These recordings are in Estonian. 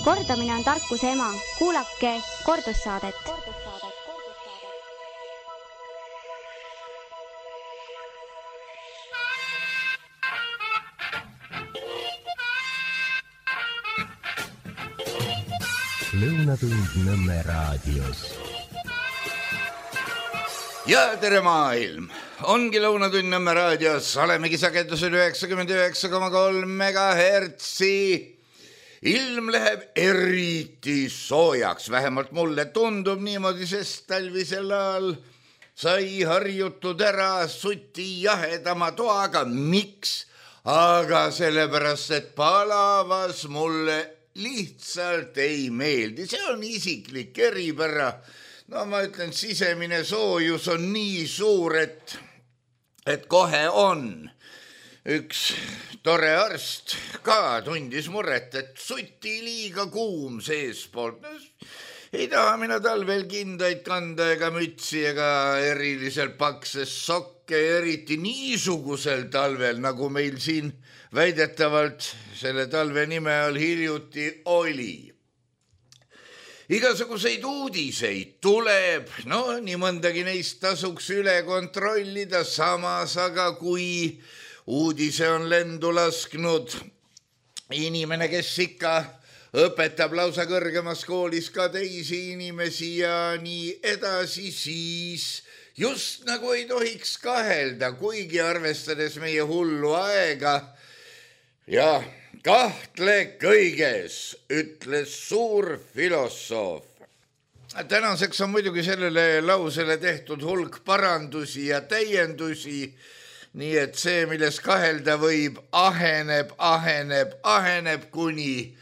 Kordamine on tarkuse ema. Kuulake kordussaadet. Lõunatund Nõmme raadios. Ja tere maailm! Ongi Lõunatund Nõmme raadios. Olemegi sagedusel 99,3 megahertsi. Ilm läheb eriti soojaks. Vähemalt mulle tundub niimoodi, sest talvisel ajal sai harjutud ära suti jahedama toaga. Miks? Aga sellepärast, et palavas mulle lihtsalt ei meeldi. See on isiklik eripära. No ma ütlen, sisemine soojus on nii suur, et kohe on. Üks tore arst ka tundis muret, et suti liiga kuum seespoolt. Ei taha mina talvel kindaid kanda ega mütsi ega eriliselt pakses sokke, eriti niisugusel talvel, nagu meil siin väidetavalt selle talve nime all hiljuti oli. Igasuguseid uudiseid tuleb, no nii mõndagi neist tasuks üle kontrollida, samas aga kui uudise on lendu lasknud inimene, kes ikka õpetab lausa kõrgemas koolis ka teisi inimesi ja nii edasi, siis just nagu ei tohiks kahelda, kuigi arvestades meie hullu aega ja kahtle kõiges, ütles suur filosoof. Tänaseks on muidugi sellele lausele tehtud hulk parandusi ja täiendusi, nii et see, milles kahelda võib, aheneb, kuni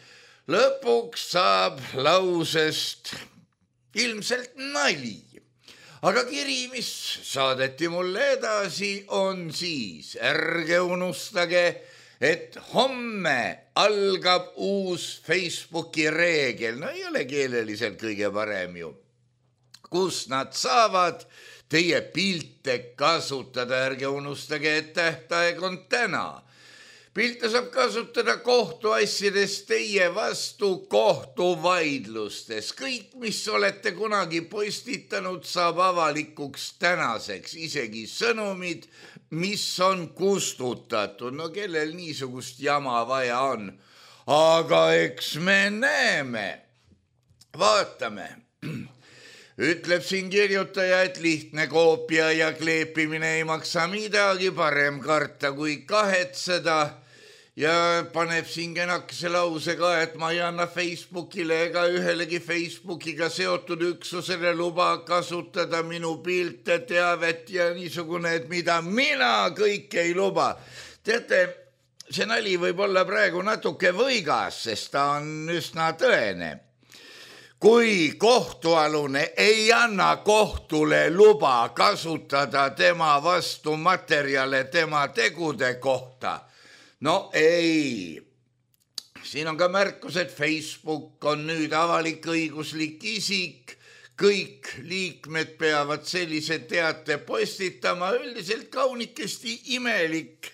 lõpuks saab lausest ilmselt nali. Aga kiri, mis saadeti mulle edasi, on siis, ärge unustage, et homme algab uus Facebooki reegel, no ei ole keeleliselt kõige parem ju, kus nad saavad teie pilte kasutada, ärge unustage, et tähtaeg on täna. Pilte saab kasutada kohtuasjades teie vastu kohtuvaidlustes. Kõik, mis olete kunagi postitanud, saab avalikuks tänaseks, isegi sõnumid, mis on kustutatud. No kellel niisugust jama vaja on? Aga eks me näeme. Vaatame. Ütleb siin kirjutaja, et lihtne koopia ja kleepimine ei maksa midagi, parem karta kui kahetseda ja paneb siin kenakese lause ka, et ma ei anna Facebookile ega ühelegi Facebookiga seotud üksusele luba kasutada minu pilte, teavet ja niisugune, et mida mina kõik ei luba. Teate, see nali võib olla praegu natuke võigas, sest ta on üsna tõene. Kui kohtualune ei anna kohtule luba kasutada tema vastu materjale tema tegude kohta, no ei. Siin on ka märkus, et Facebook on nüüd avalik-õiguslik isik. Kõik liikmed peavad sellise teate postitama, üldiselt kaunikesti imelik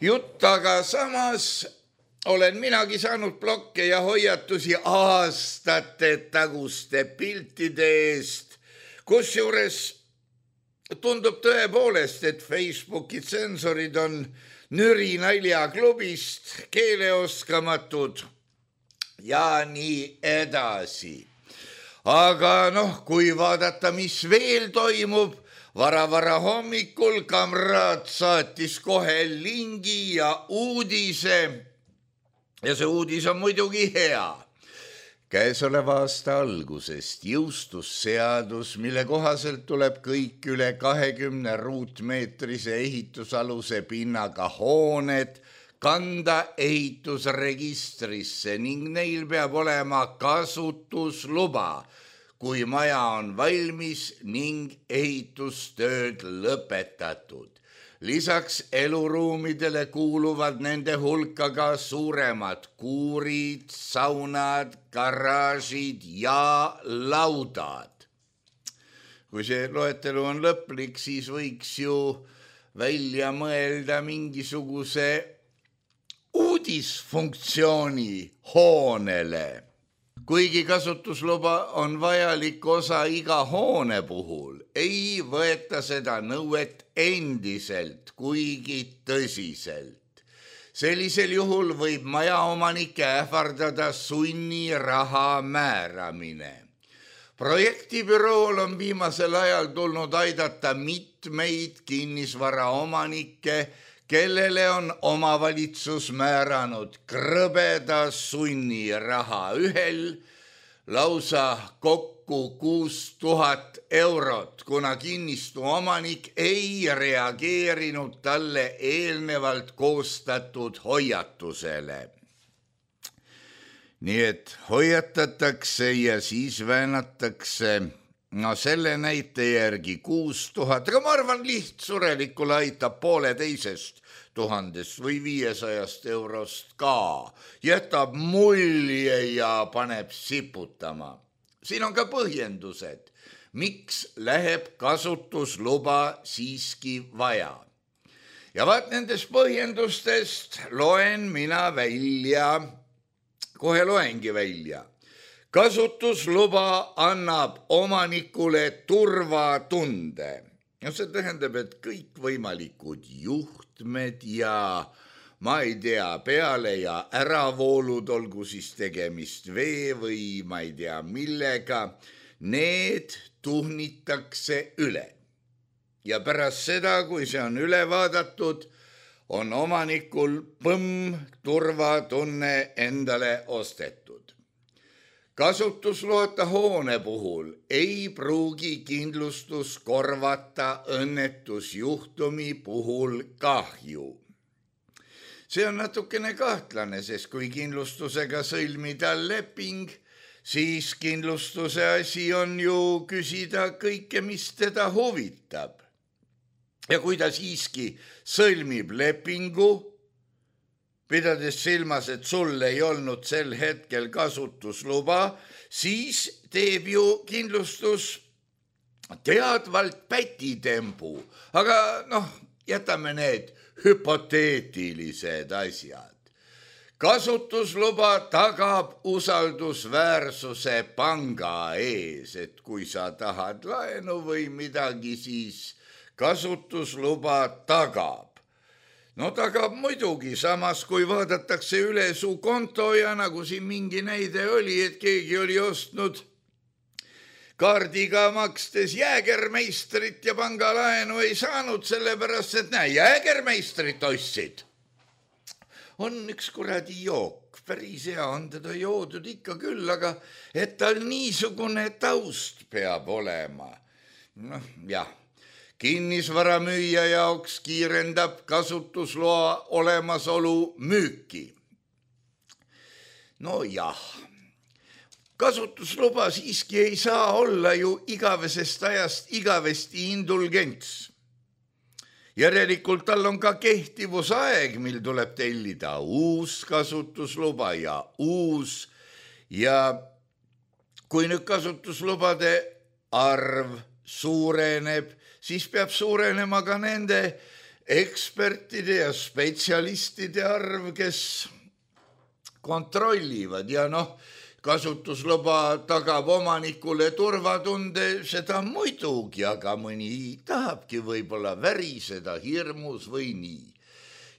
jutt, aga samas olen minagi saanud blokke ja hoiatusi aastate taguste piltide eest, kusjuures tundub tõepoolest, et Facebooki tsensorid on nüri naljaklubist, keeleoskamatud ja nii edasi. Aga kui vaadata, mis veel toimub, vara hommikul kamraad saatis kohe lingi ja uudise. Ja see uudis on muidugi hea. Käesoleva aasta algusest jõustus seadus, mille kohaselt tuleb kõik üle 20 ruutmeetrise ehitusaluse pinnaga hooned kanda ehitusregistrisse ning neil peab olema kasutusluba, kui maja on valmis ning ehitustööd lõpetatud. Lisaks eluruumidele kuuluvad nende hulka ka suuremad kuurid, saunad, garaažid ja laudad. Kui see loetelu on lõplik, siis võiks ju välja mõelda mingisuguse uudisfunktsiooni hoonele. kuigi kasutusluba on vajalik osa iga hoone puhul, ei võeta seda nõuet endiselt, kuigi tõsiselt. Sellisel juhul võib majaomanike ähvardada sunniraha määramine. Projektibürool on viimasel ajal tulnud aidata mitmeid kinnisvaraomanikke, kellele on omavalitsus määranud krõbeda sunniraha ühel lausa kokku 6000 eurot, kuna kinnistu omanik ei reageerinud talle eelnevalt koostatud hoiatusele. Nii et hoiatatakse ja siis väänatakse, no selle näite järgi 6000, aga ma arvan lihtsurelikule aitab 1500 või 500 eurost ka, jätab mulje ja paneb siputama. Siin on ka põhjendused, miks läheb kasutusluba siiski vaja. Ja vaat nendest põhjendustest loen mina välja, kohe loengi välja. Kasutusluba annab omanikule turvatunde. Ja see tähendab, et kõikvõimalikud juhtmed ja ma ei tea, peale ja äravoolud, olgu siis tegemist vee või ma ei tea millega, need tuhnitakse üle. Ja pärast seda, kui see on üle vaadatud, on omanikul turvatunne endale ostetud. Kasutusloata hoone puhul ei pruugi kindlustus korvata õnnetusjuhtumi puhul kahju. See on natukene kahtlane, sest kui kindlustusega sõlmida leping, siis kindlustuse asi on ju küsida kõike, mis teda huvitab. Ja kui ta siiski sõlmib lepingu, pidades silmas, et sul ei olnud sel hetkel kasutusluba, siis teeb ju kindlustus teadvalt pätitempu. Aga jätame need hüpoteetilised asjad. Kasutusluba tagab usaldusväärsuse panga ees, et kui sa tahad laenu või midagi, siis kasutusluba tagab. Tagab muidugi, samas kui vaadatakse üle su konto ja nagu siin mingi näide oli, et keegi oli ostnud kaardiga makstes Jäägermeistrit ja pangalaenu ei saanud, sellepärast, et Jäägermeistrit ostsid. On üks kuradi jook, päris hea on teda joodud ikka küll, aga et tal niisugune taust peab olema. Jah. Kinnisvaramüüja jaoks kiirendab kasutusloa olemasolu müüki. Jah, kasutusluba siiski ei saa olla ju igavesest ajast igavesti indulgents. Järelikult tal on ka kehtivusaeg, mil tuleb tellida uus kasutusluba ja uus. Ja kui nüüd kasutuslubade arv suureneb, siis peab suurenema ka nende ekspertide ja spetsialistide arv, kes kontrollivad ja kasutusluba tagab omanikule turvatunde, seda muidugi, aga mõni tahabki võib-olla väriseda hirmus või nii.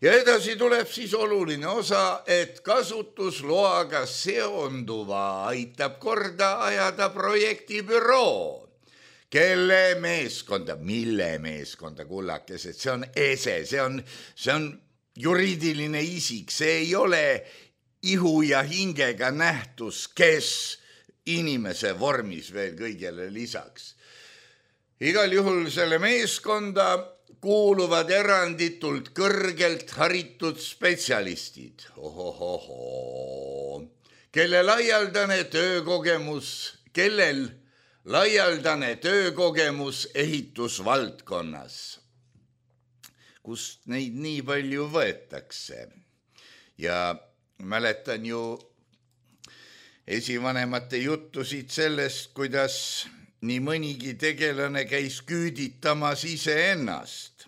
Ja edasi tuleb siis oluline osa, et kasutusloaga seonduva aitab korda ajada projektibüroo. Kelle meeskonda, mille meeskonda, kullakesed, see on ese, see on juriidiline isik, see ei ole ihu ja hingega nähtus, kes inimese vormis veel kõigele lisaks. Igal juhul selle meeskonda kuuluvad eranditult kõrgelt haritud spetsialistid, kellel laialdane töökogemus ehitusvaldkonnas, kust neid nii palju võetakse. Ja mäletan ju esivanemate juttusid sellest, kuidas nii mõnigi tegelane käis küüditamas iseennast.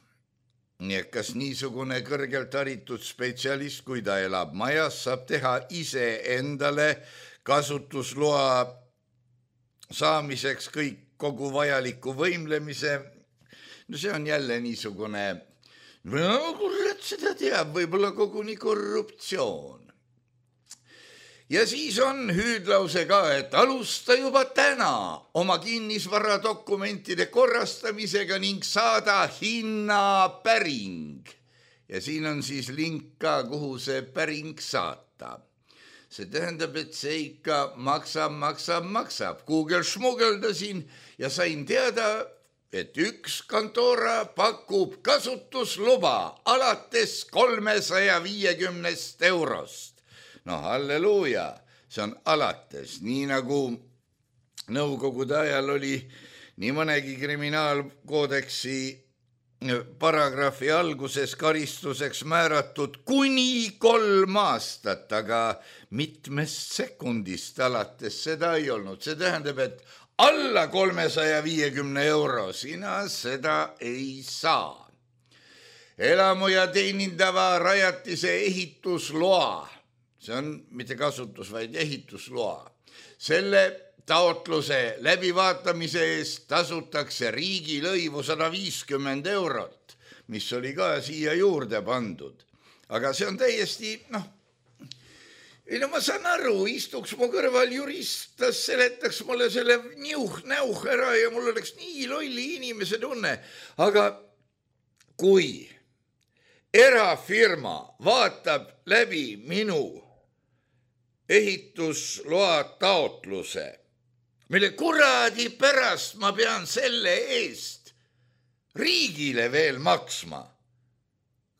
Nii et kas niisugune kõrgelt haritud spetsialist, kui ta elab majas, saab teha ise endale kasutusloa saamiseks kogu vajaliku võimlemise. No see on jälle niisugune, no kurat seda teab, võib-olla koguni korruptsioon. Ja siis on hüüdlause ka, et alusta juba täna oma kinnisvara dokumentide korrastamisega ning saada hinnapäring. Ja siin on siis link ka, kuhu see päring saata. See tähendab, et see ikka maksab. Google šmugeldasin ja sain teada, et üks kontora pakub kasutusluba alates 350 eurost. No halleluuja, see on alates, nii nagu nõukogude ajal oli nii mõnegi kriminaalkoodeksi paragrahvi alguses karistuseks määratud kuni 3 aastat, aga mitmest sekundist alates seda ei olnud. See tähendab, et alla 350 euro sina seda ei saa. Elamu ja teenindava rajatise ehitusloa. See on mitte kasutus, vaid ehitusloa. Selle taotluse läbivaatamise eest tasutakse riigilõivu 150 eurot, mis oli ka siia juurde pandud. Aga see on täiesti, ma saan aru, istuks mu kõrval jurist, ta seletaks mulle selle näuh ära ja mul oleks nii lolli inimese tunne. Aga kui erafirma vaatab läbi minu ehitusloa taotluse, mille kuradi pärast ma pean selle eest riigile veel maksma.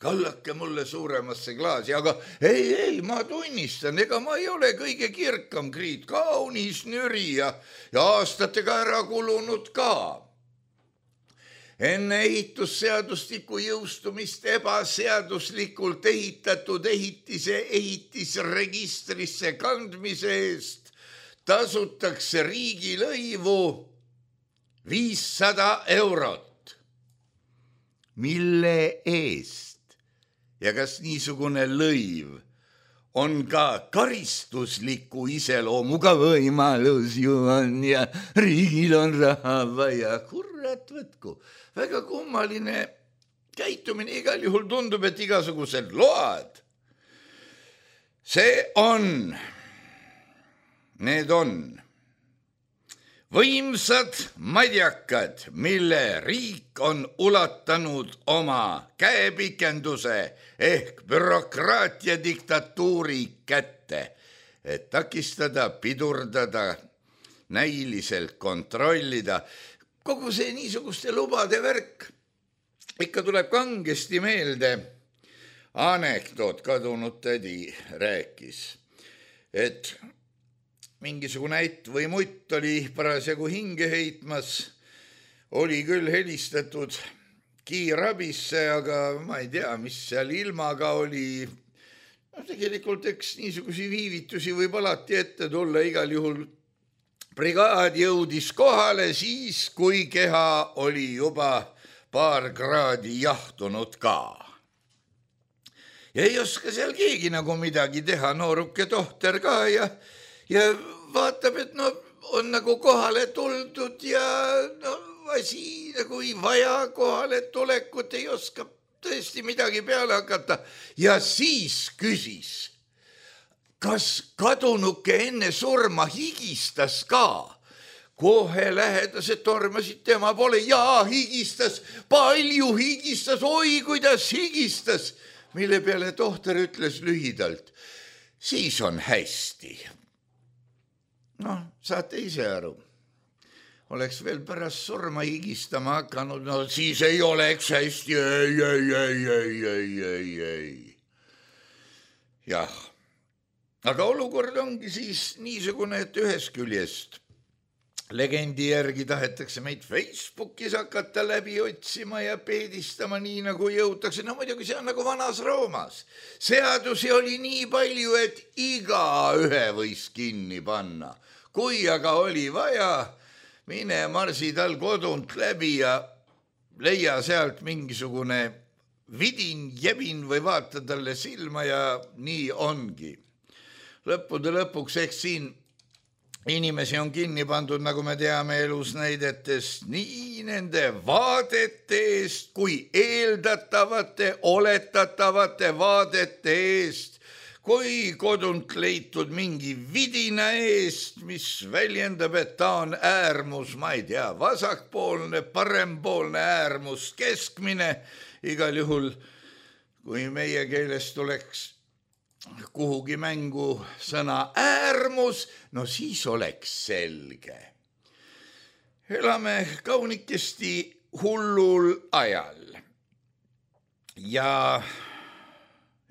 Kallake mulle suuremasse klaasi, aga ei, ma tunnistan, ega ma ei ole kõige kirkam kriit, kaunis nüri ja aastatega ära kulunud ka. Enne ehitusseadustiku jõustumist ebaseaduslikult ehitatud ehitise ehitisregistrisse kandmise eest tasutakse riigilõivu 500 eurot. Mille eest? Ja kas niisugune lõiv on ka karistusliku iseloomuga võimalus ju on ja riigil on raha vaja. Kurat võtku. Väga kummaline käitumine, igal juhul tundub, et igasugused load. Need on võimsad madjakad, mille riik on ulatanud oma käepikenduse ehk bürokraatia diktatuuri kätte, et takistada, pidurdada, näiliselt kontrollida. Kogu see niisuguste lubade värk ikka tuleb kangesti meelde. Anekdoot kadunud tädi rääkis, et mingisugune ätt või mutt oli parasjagu hinge heitmas, oli küll helistatud kiirabisse, aga ma ei tea, mis seal ilmaga oli. Tegelikult eks niisugusi viivitusi võib alati ette tulla, igal juhul brigaad jõudis kohale siis, kui keha oli juba paar kraadi jahtunud ka. Ja ei oska seal keegi nagu midagi teha, nooruke tohter ka ja vaatab, et on nagu kohale tuldud ja asi nagu ei vaja kohale tulekut, ei oska tõesti midagi peale hakata. Ja siis küsis, kas kadunuke enne surma higistas ka? Kohe lähedased tormasid tema poole. Jaa, higistas, palju higistas, oi kuidas higistas. Mille peale tohter ütles lühidalt, siis on hästi. Saate ise aru. Oleks veel pärast surma higistama hakanud, siis ei oleks hästi. Ei. Jah. Aga olukord ongi siis niisugune, et ühest küljest legendi järgi tahetakse meid Facebookis hakata läbi otsima ja peedistama nii nagu jõutakse. Muidugi see on nagu vanas Roomas. Seadusi oli nii palju, et igaühe võis kinni panna. Kui aga oli vaja, mine marsi tal kodunt läbi ja leia sealt mingisugune vidin, jebin või vaata talle silma ja nii ongi. Lõppude lõpuks, eks siin inimesi on kinni pandud, nagu me teame elusnäidetest, nii nende vaadete eest kui eeldatavate, oletatavate vaadete eest, kui kodunt leitud mingi vidina eest, mis väljendab, et ta on äärmus, ma ei tea, vasakpoolne, parempoolne äärmus, keskmine, igal juhul, kui meie keeles tuleks kuhugi mängu sõna äärmus, no siis oleks selge. Elame kaunikesti hullul ajal ja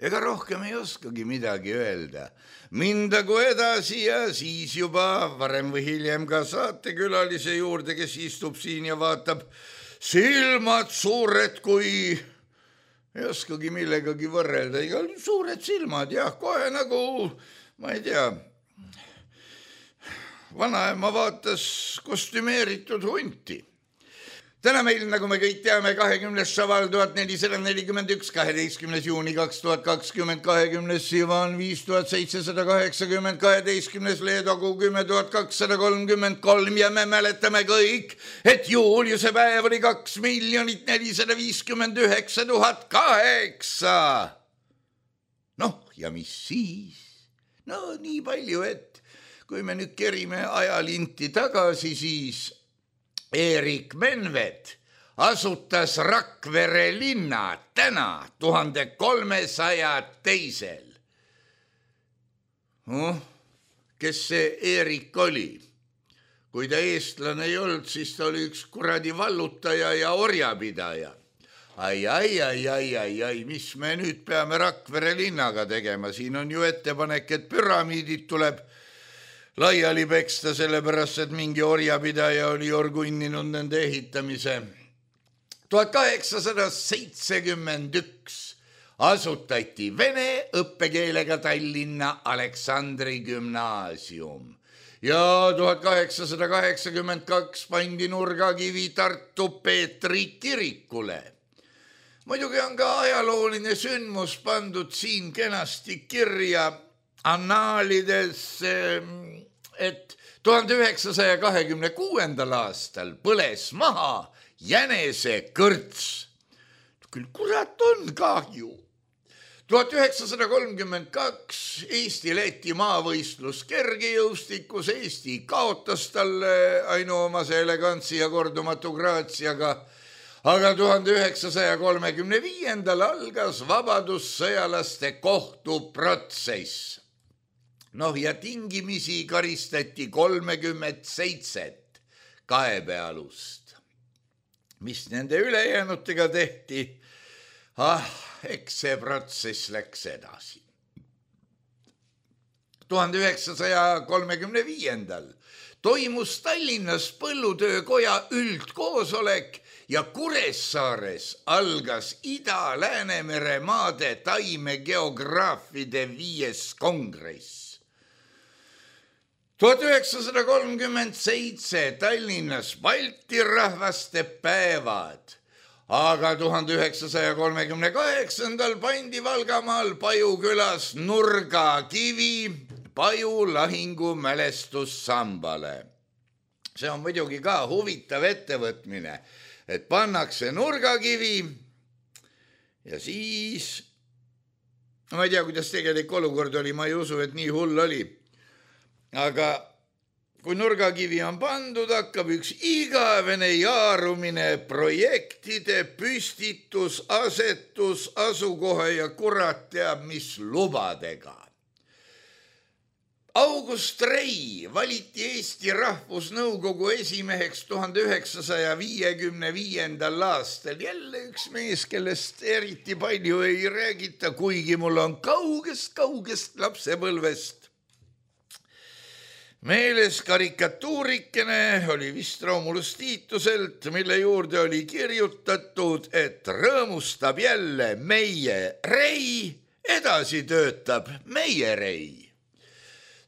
ega rohkem ei oskagi midagi öelda. Mindagu edasi ja siis juba varem või hiljem ka saatekülalise juurde, kes istub siin ja vaatab silmad suured kui ei oskagi millegagi võrrelda, igal suured silmad, jah, kohe nagu, ma ei tea, vanaema vaatas kostümeeritud hunti. Täna meil, nagu me kõik teame, 20. šaval 1441, 12. juuni 2020, 20. sivan 5780, 12. leedokuu 10,233 ja me mäletame kõik, et Juliuse päev oli 2 459 008. Noh, ja mis siis? No nii palju, et kui me nüüd kerime ajalinti tagasi, siis Erik Menvet asutas Rakvere linna täna 1302. Kes see Erik oli? Kui ta eestlane ei olnud, siis ta oli üks kuradi vallutaja ja orjapidaja. Ai, mis me nüüd peame Rakvere linnaga tegema? Siin on ju ettepanek, et püramiidid tuleb laiali peksta, sellepärast, et mingi orjapidaja oli orgunninud nende ehitamise. 1871 asutati vene õppekeelega Tallinna Aleksandri gümnaasium ja 1882 pandi nurgakivi Tartu Peetri kirikule. Muidugi on ka ajalooline sündmus pandud siin kenasti kirja annaalides, et 1926. aastal põles maha jänesekõrts. Küll kurat on kahju. 1932 Eesti-Läti maavõistlus kergejõustikus. Eesti kaotas talle ainuomase elegantsi ja kordumatu graatsiaga, aga 1935. algas vabadussõjalaste kohtuprotsess. Noh, ja tingimisi karistati 37 kaebealust. Mis nende ülejäänutega tehti? Eks see protsess läks edasi. 1935. toimus Tallinnas põllutöökoja üldkoosolek ja Kuressaares algas Ida-Läänemere maade taimegeograafide 5. kongress. 1937 Tallinnas Balti rahvaste päevad, aga 1938 pandi Valgamaal Pajukülas nurgakivi Paju lahingu mälestussambale. See on muidugi ka huvitav ettevõtmine, et pannakse nurgakivi ja siis, ma ei tea, kuidas tegelik olukord oli, ma ei usu, et nii hull oli. Aga kui nurgakivi on pandud, hakkab üks igavene jaarumine projektide, püstitus, asetus, asukoha ja kurat teab mis lubadega. August Rei valiti Eesti Rahvusnõukogu esimeheks 1955. aastal. Jälle üks mees, kellest eriti palju ei räägita, kuigi mul on kaugest lapsepõlvest meeles karikatuurikene, oli vist Romulus Tiituselt, mille juurde oli kirjutatud, et rõõmustab jälle meie Rei, edasi töötab meie Rei.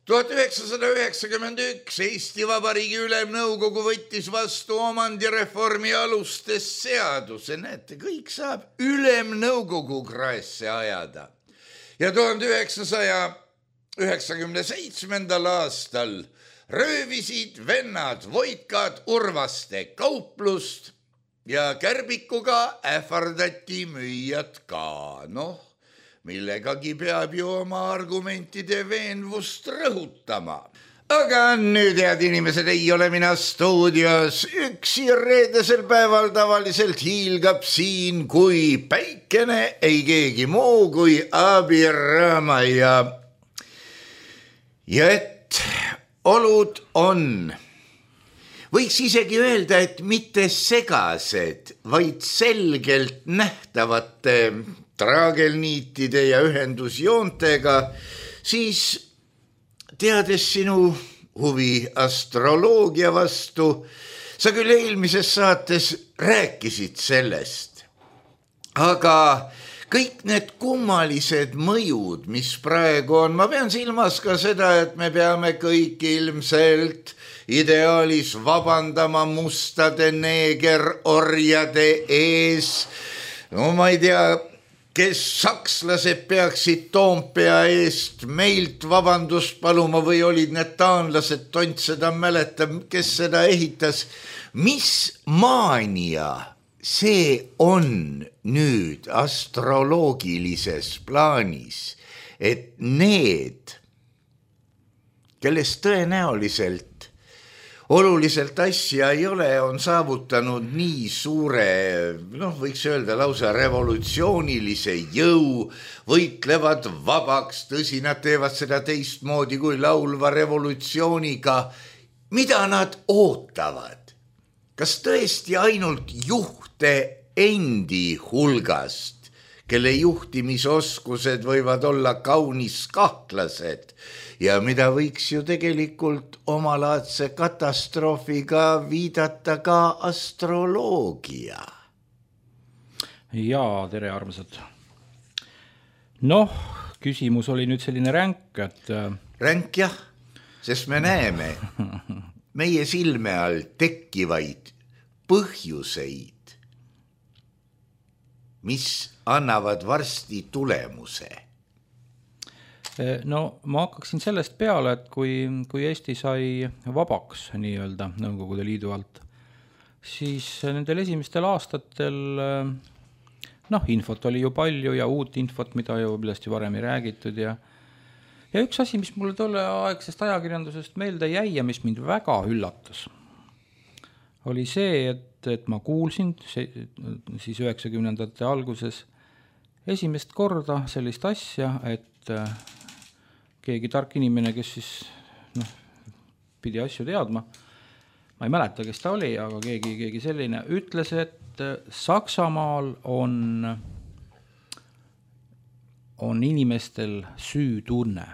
1991 Eesti Vabariigi Ülemnõukogu võttis vastu omandireformi alustes seaduse. Näete, kõik saab Ülemnõukogu kraesse ajada. Ja 1997. aastal röövisid vennad Voitkad Urvaste kauplust ja kärbikuga ähvardati müüjad ka. Noh, millegagi peab ju oma argumentide veenvust rõhutama. Aga nüüd, head inimesed, ei ole mina stuudios üksi. Reedesel päeval tavaliselt hiilgab siin kui päikene ei keegi muu kui Abirama ja et olud on, võiks isegi öelda, et mitte segased, vaid selgelt nähtavate traagelniitide ja ühendusjoontega, siis teades sinu huvi astroloogia vastu, sa küll eelmises saates rääkisid sellest, aga kõik need kummalised mõjud, mis praegu on, ma pean silmas ka seda, et me peame kõik ilmselt ideaalis vabandama mustade neegerorjade ees. No ma ei tea, kes sakslased peaksid Toompea eest meilt vabandust paluma või olid need taanlased, tont seda mäletab, kes seda ehitas. Mis maania see on nüüd astroloogilises plaanis, et need, kellest tõenäoliselt oluliselt asja ei ole, on saavutanud nii suure, võiks öelda lausa revolutsioonilise jõu, võitlevad vabaks, tõsi, nad teevad seda teistmoodi kui laulva revolutsiooniga. Mida nad ootavad? Kas tõesti ainult juhte endi hulgast, kelle juhtimisoskused võivad olla kaunis kahtlased ja mida võiks ju tegelikult omalaadse katastroofiga viidata ka astroloogia? Jaa, tere armsad. Noh, küsimus oli nüüd selline ränk, et... Ränk jah, sest me näeme meie silme all tekkivaid põhjuseid, mis annavad varsti tulemuse. No ma hakkaksin sellest peale, et kui Eesti sai vabaks nii-öelda Nõukogude Liidu alt, siis nendel esimestel aastatel infot oli ju palju ja uut infot, millest ju varem ei räägitud ja üks asi, mis mulle tolle aegsest ajakirjandusest meelde jäi ja mis mind väga üllatas, oli see, et ma kuulsin siis 90ndate alguses esimest korda sellist asja, et keegi tark inimene, kes siis pidi asju teadma, ma ei mäleta, kes ta oli, aga keegi selline ütles, et Saksamaal on inimestel süütunne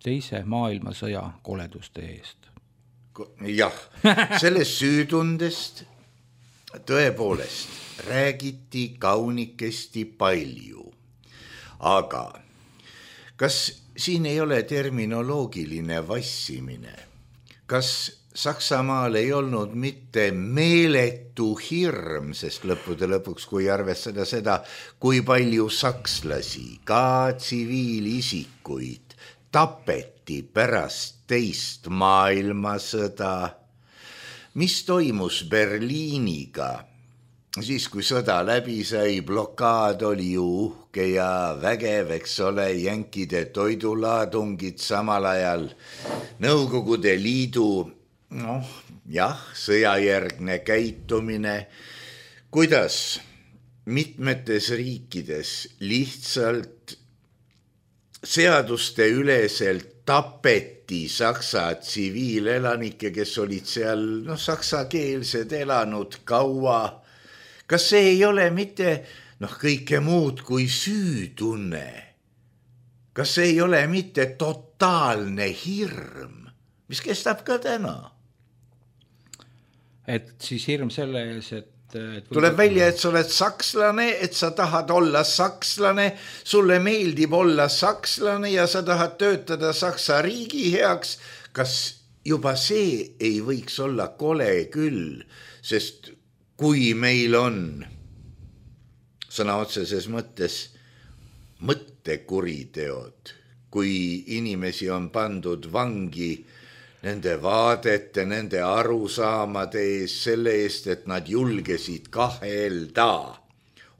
teise maailmasõja koleduste eest. Jah, sellest süütundest tõepoolest räägiti kaunikesti palju, aga kas siin ei ole terminoloogiline vassimine? Kas Saksamaal ei olnud mitte meeletu hirm, sest lõppude lõpuks, kui arvestada seda, kui palju sakslasi, ka tsiviilisikuid tapeti pärast teist maailmasõda, mis toimus Berliiniga, siis kui sõda läbi sai, blokaad oli ju uhke ja vägev, eks ole, jänkide toidulaadungid samal ajal, Nõukogude Liidu, sõjajärgne käitumine, kuidas mitmetes riikides lihtsalt seaduste üleselt tapeti Saksa tsiviilelanikke, kes olid seal saksakeelsed elanud kaua. Kas see ei ole mitte kõike muud kui süütunne? Kas see ei ole mitte totaalne hirm, mis kestab ka täna? Et siis hirm selle ees, et tuleb välja, et sa oled sakslane, et sa tahad olla sakslane, sulle meeldib olla sakslane ja sa tahad töötada Saksa riigi heaks. Kas juba see ei võiks olla kole küll, sest kui meil on sõna otseses mõttes mõttekuriteod, kui inimesi on pandud vangi nende vaadete, nende arusaamade ees, selle eest, et nad julgesid kahelda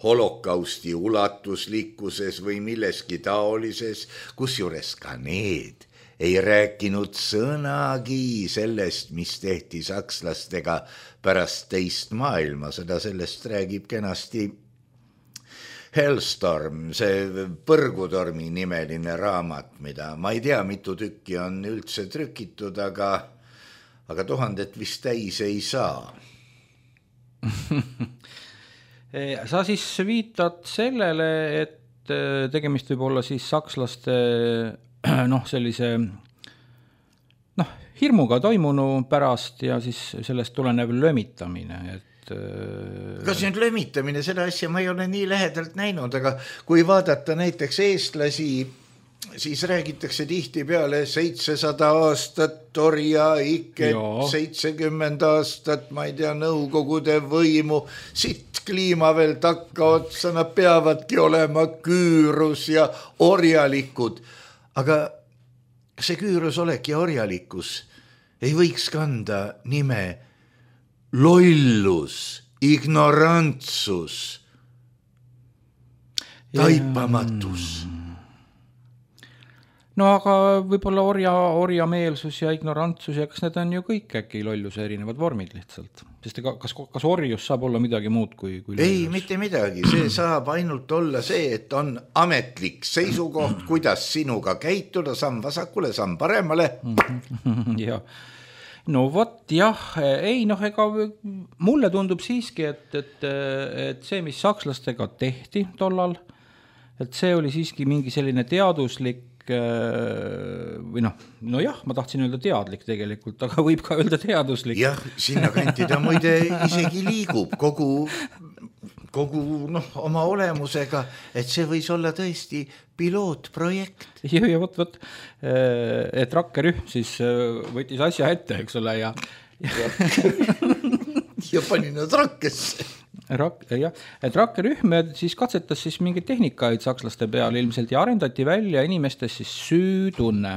holokausti ulatuslikkuses või milleski taolises, kusjuures ka need ei rääkinud sõnagi sellest, mis tehti sakslastega pärast teist maailmasõda, sellest räägib kenasti Hellstorm, see Põrgutormi nimeline raamat, mida ma ei tea, mitu tükki on üldse trükitud, aga 1000 vist täis ei saa. Sa siis viitad sellele, et tegemist võib olla siis sakslaste sellise hirmuga toimunu pärast ja siis sellest tulenev lömitamine, et kas nüüd lömitamine, seda asja ma ei ole nii lähedalt näinud, aga kui vaadata näiteks eestlasi, siis räägitakse tihtipeale 700 aastat orjaiket, 70 aastat, ma ei tea, Nõukogude võimu, sitt kliima veel takka otsa, nad peavadki olema küürus ja orjalikud. Aga see küürus olek ja orjalikkus ei võiks kanda nime lollus, ignorantsus, taipamatus. No aga võib-olla orjameelsus ja ignorantsus ja kas need on ju kõik äkki lolluse erinevad vormid lihtsalt? Sest kas orjus saab olla midagi muud kui lollus? Ei, mitte midagi. See saab ainult olla see, et on ametlik seisukoht, kuidas sinuga käituda, samm vasakule, samm paremale. Jah. No vot jah, ei ega mulle tundub siiski, et see, mis sakslastega tehti tollal, et see oli siiski mingi selline teaduslik või ma tahtsin öelda teadlik tegelikult, aga võib ka öelda teaduslik. Jah, sinna kanti ta muide isegi liigub kogu oma olemusega, et see võis olla tõesti pilootprojekt. Ja võt, et rakkerühm siis võttis asja ette, eks ole, ja pani nad rakkesse. Et rakkerühm siis katsetas siis mingeid tehnikaid sakslaste peal ilmselt ja arendati välja inimestes siis süütunne.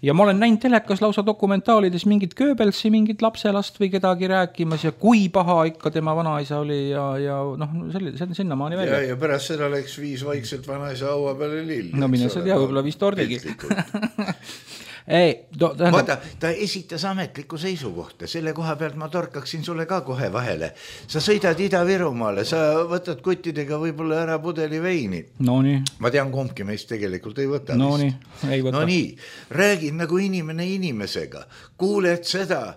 Ja ma olen näinud telekas lausa dokumentaalides mingit Goebbelsi, mingit lapselast või kedagi rääkimas ja kui paha ikka tema vanaisa oli ja sinna maani välja. Ja pärast seda läks viis vaikselt vanaisa haua peale lill. No mine sa tea, võib-olla vist ordigi. Vaata, ta esitas ametlikku seisukohta, selle koha pealt ma torkaksin sulle ka kohe vahele. Sa sõidad Ida-Virumaale, sa võtad kuttidega võib-olla ära pudeli veini. No nii. Ma tean, kumbki meist tegelikult ei võta. No nii, ei võta. No nii, räägid nagu inimene inimesega, kuuled seda,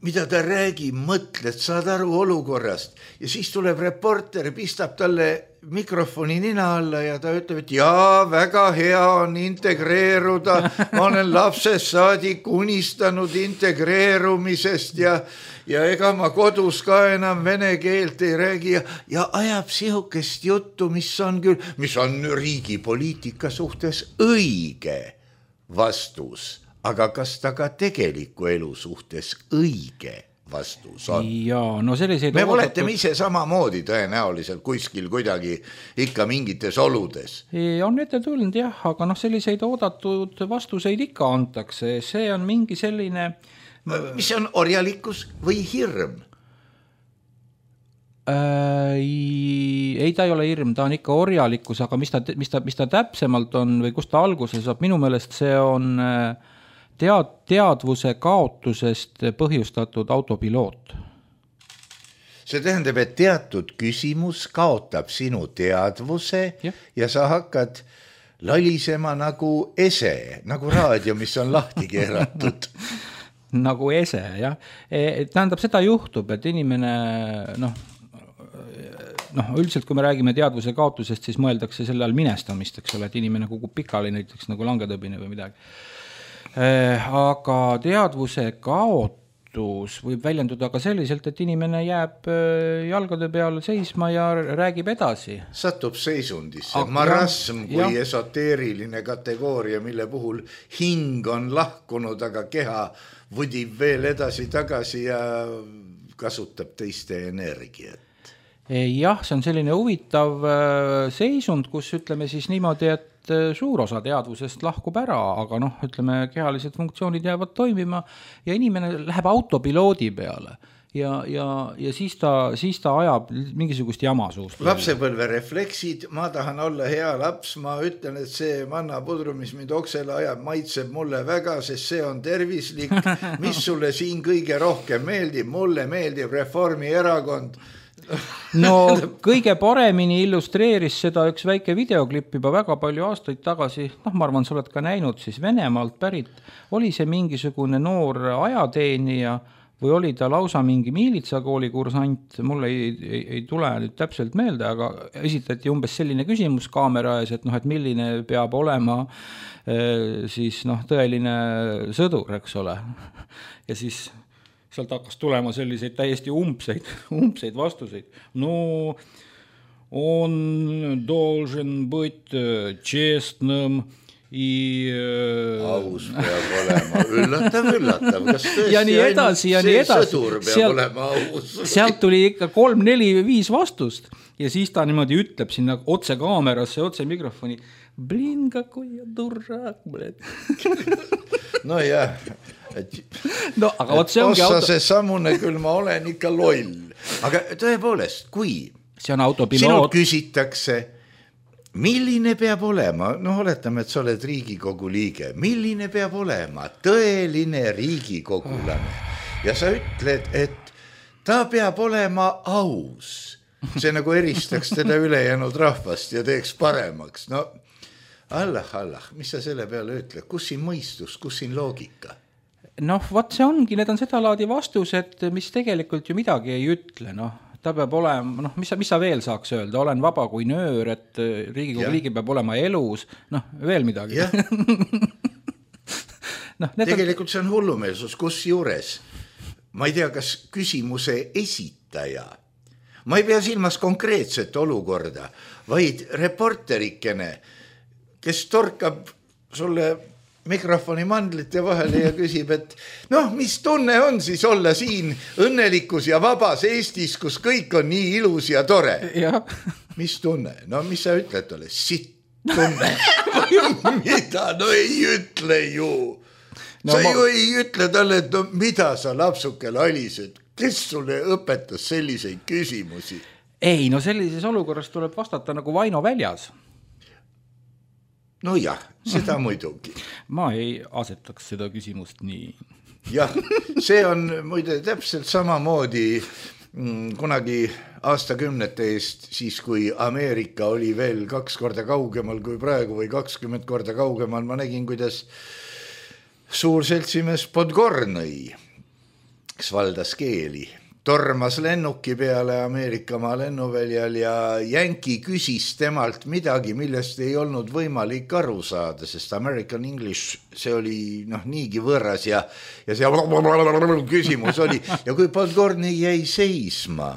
mida ta räägib, mõtled, saad aru olukorrast ja siis tuleb reporter, pistab talle mikrofoni nina alla ja ta ütleb, et jaa, väga hea on integreeruda, ma olen lapsest saadik unistanud integreerumisest ja ega ma kodus ka enam vene keelt ei räägi ja ajab sihukest juttu, mis on riigi poliitika suhtes õige vastus. Aga kas ta ka tegeliku elu suhtes õige vastus on? Jaa, no selliseid me oletame ise samamoodi tõenäoliselt kuskil kuidagi ikka mingites oludes. On ette tulnud jah, aga selliseid oodatud vastuseid ikka antakse. See on mingi selline... Mis on orjalikkus või hirm? Ei, ta ei ole hirm, ta on ikka orjalikkus, aga mis ta täpsemalt on või kust ta alguse saab, minu meelest see on... teadvuse kaotusest põhjustatud autopiloot. See tähendab, et teatud küsimus kaotab sinu teadvuse ja sa hakkad lalisema nagu ese, nagu raadio, mis on lahti keeratud. Nagu ese, jah. Tähendab, seda juhtub, et inimene, üldiselt kui me räägime teadvuse kaotusest, siis mõeldakse selle all minestamist, eks ole, et inimene kukub pikali näiteks nagu langetõbine või midagi. Aga teadvuse kaotus võib väljenduda ka selliselt, et inimene jääb jalgade peal seisma ja räägib edasi. Satub seisundisse. Marasm kui esoteeriline kategooria, mille puhul hing on lahkunud, aga keha vudib veel edasi tagasi ja kasutab teiste energiat. Jah, see on selline huvitav seisund, kus ütleme siis niimoodi, et suur osa teadvusest lahkub ära, aga noh, ütleme, kehalised funktsioonid jäävad toimima ja inimene läheb autopiloodi peale ja siis ta ajab mingisugust jama suust. Lapsepõlve refleksid, ma tahan olla hea laps, ma ütlen, et see mannapudru, mis mind oksele ajab, maitseb mulle väga, sest see on tervislik. Mis sulle siin kõige rohkem meeldib? Mulle meeldib Reformierakond. No kõige paremini illustreeris seda üks väike videoklipp juba väga palju aastaid tagasi, ma arvan, sa oled ka näinud, siis Venemaalt pärit, oli see mingisugune noor ajateenija või oli ta lausa mingi miilitsakooli kursant, mulle ei tule nüüd täpselt meelde, aga esitati umbes selline küsimus kaamera ees, et et milline peab olema siis tõeline sõdur, eks ole. Ja siis sealt hakkas tulema selliseid täiesti umbseid vastuseid. No, on должен быть честным и... Aus peab olema. Üllatav. Kas ja nii edasi, ja nii edasi. Sõdur peab olema aus. Sealt tuli ikka 3, 4, 5 vastust. Ja siis ta niimoodi ütleb sinna otse kaamerasse, otse mikrofoni. Blin, какой я дурак, блядь. No jah. No, aga see ongi see sammune küll, ma olen ikka loll. Aga tõepoolest, kui see on autopiloot. Sinult küsitakse, milline peab olema, oletame, et sa oled Riigikogu liige, milline peab olema tõeline riigikogulane ja sa ütled, et ta peab olema aus. See nagu eristaks teda ülejäänud rahvast ja teeks paremaks. No, Allah, mis sa selle peale ütled? Kus siin mõistus, kus siin loogika? Vaat see ongi, need on seda laadi vastused, mis tegelikult ju midagi ei ütle, ta peab olema, mis sa veel saaks öelda, olen vaba kui nöör, et Riigikogu liige peab olema elus, veel midagi. Tegelikult see on hullumeelsus, kus juures, ma ei tea, kas küsimuse esitaja, ma ei pea silmas konkreetset olukorda, vaid reporterikene, kes torkab sulle mikrofoni mandlite vahele ja küsib, et mis tunne on siis olla siin õnnelikus ja vabas Eestis, kus kõik on nii ilus ja tore? Ja. Mis tunne? Mis sa ütled talle? Sitt tunne. Mida? Ei ütle ju. Sa ju ei ütle talle, et mida sa lapsuke lalised? Kes sulle õpetas selliseid küsimusi? Ei, sellises olukorras tuleb vastata nagu Vaino väljas. No jah, seda muidugi. Ma ei asetaks seda küsimust nii. Jah, see on muide täpselt samamoodi kunagi aastakümnete eest, siis kui Ameerika oli veel 2 korda kaugemal kui praegu või 20 korda kaugemal, ma nägin, kuidas suur seltsimees Podgornõi, kes valdas keeli, tormas lennuki peale Ameerikamaa lennuväljal ja jänki küsis temalt midagi, millest ei olnud võimalik aru saada, sest American English, see oli niigi võõras ja see küsimus oli. Ja kui Podgornõi jäi seisma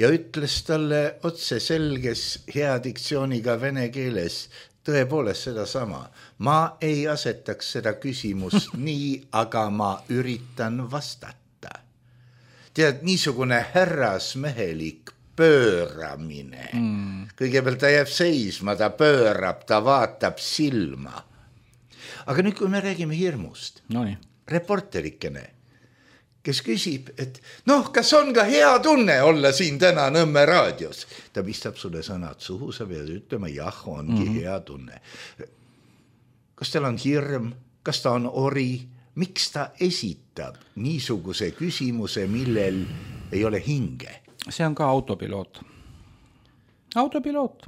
ja ütles talle otse selges hea diktsiooniga vene keeles tõepoolest seda sama. Ma ei asetaks seda küsimust nii, aga ma üritan vastata. Tead, niisugune härrasmehelik pööramine. Kõigepealt ta jääb seisma, ta pöörab, ta vaatab silma. Aga nüüd, kui me räägime hirmust, reporterikene, kes küsib, et kas on ka hea tunne olla siin täna Nõmme raadios? Ta pistab sulle sõnad suhu, sa pead ütlema, jah, ongi hea tunne. Kas tal on hirm? Kas ta on ori? Miks ta esitab niisuguse küsimuse, millel ei ole hinge? See on ka autopiloot. Autopiloot.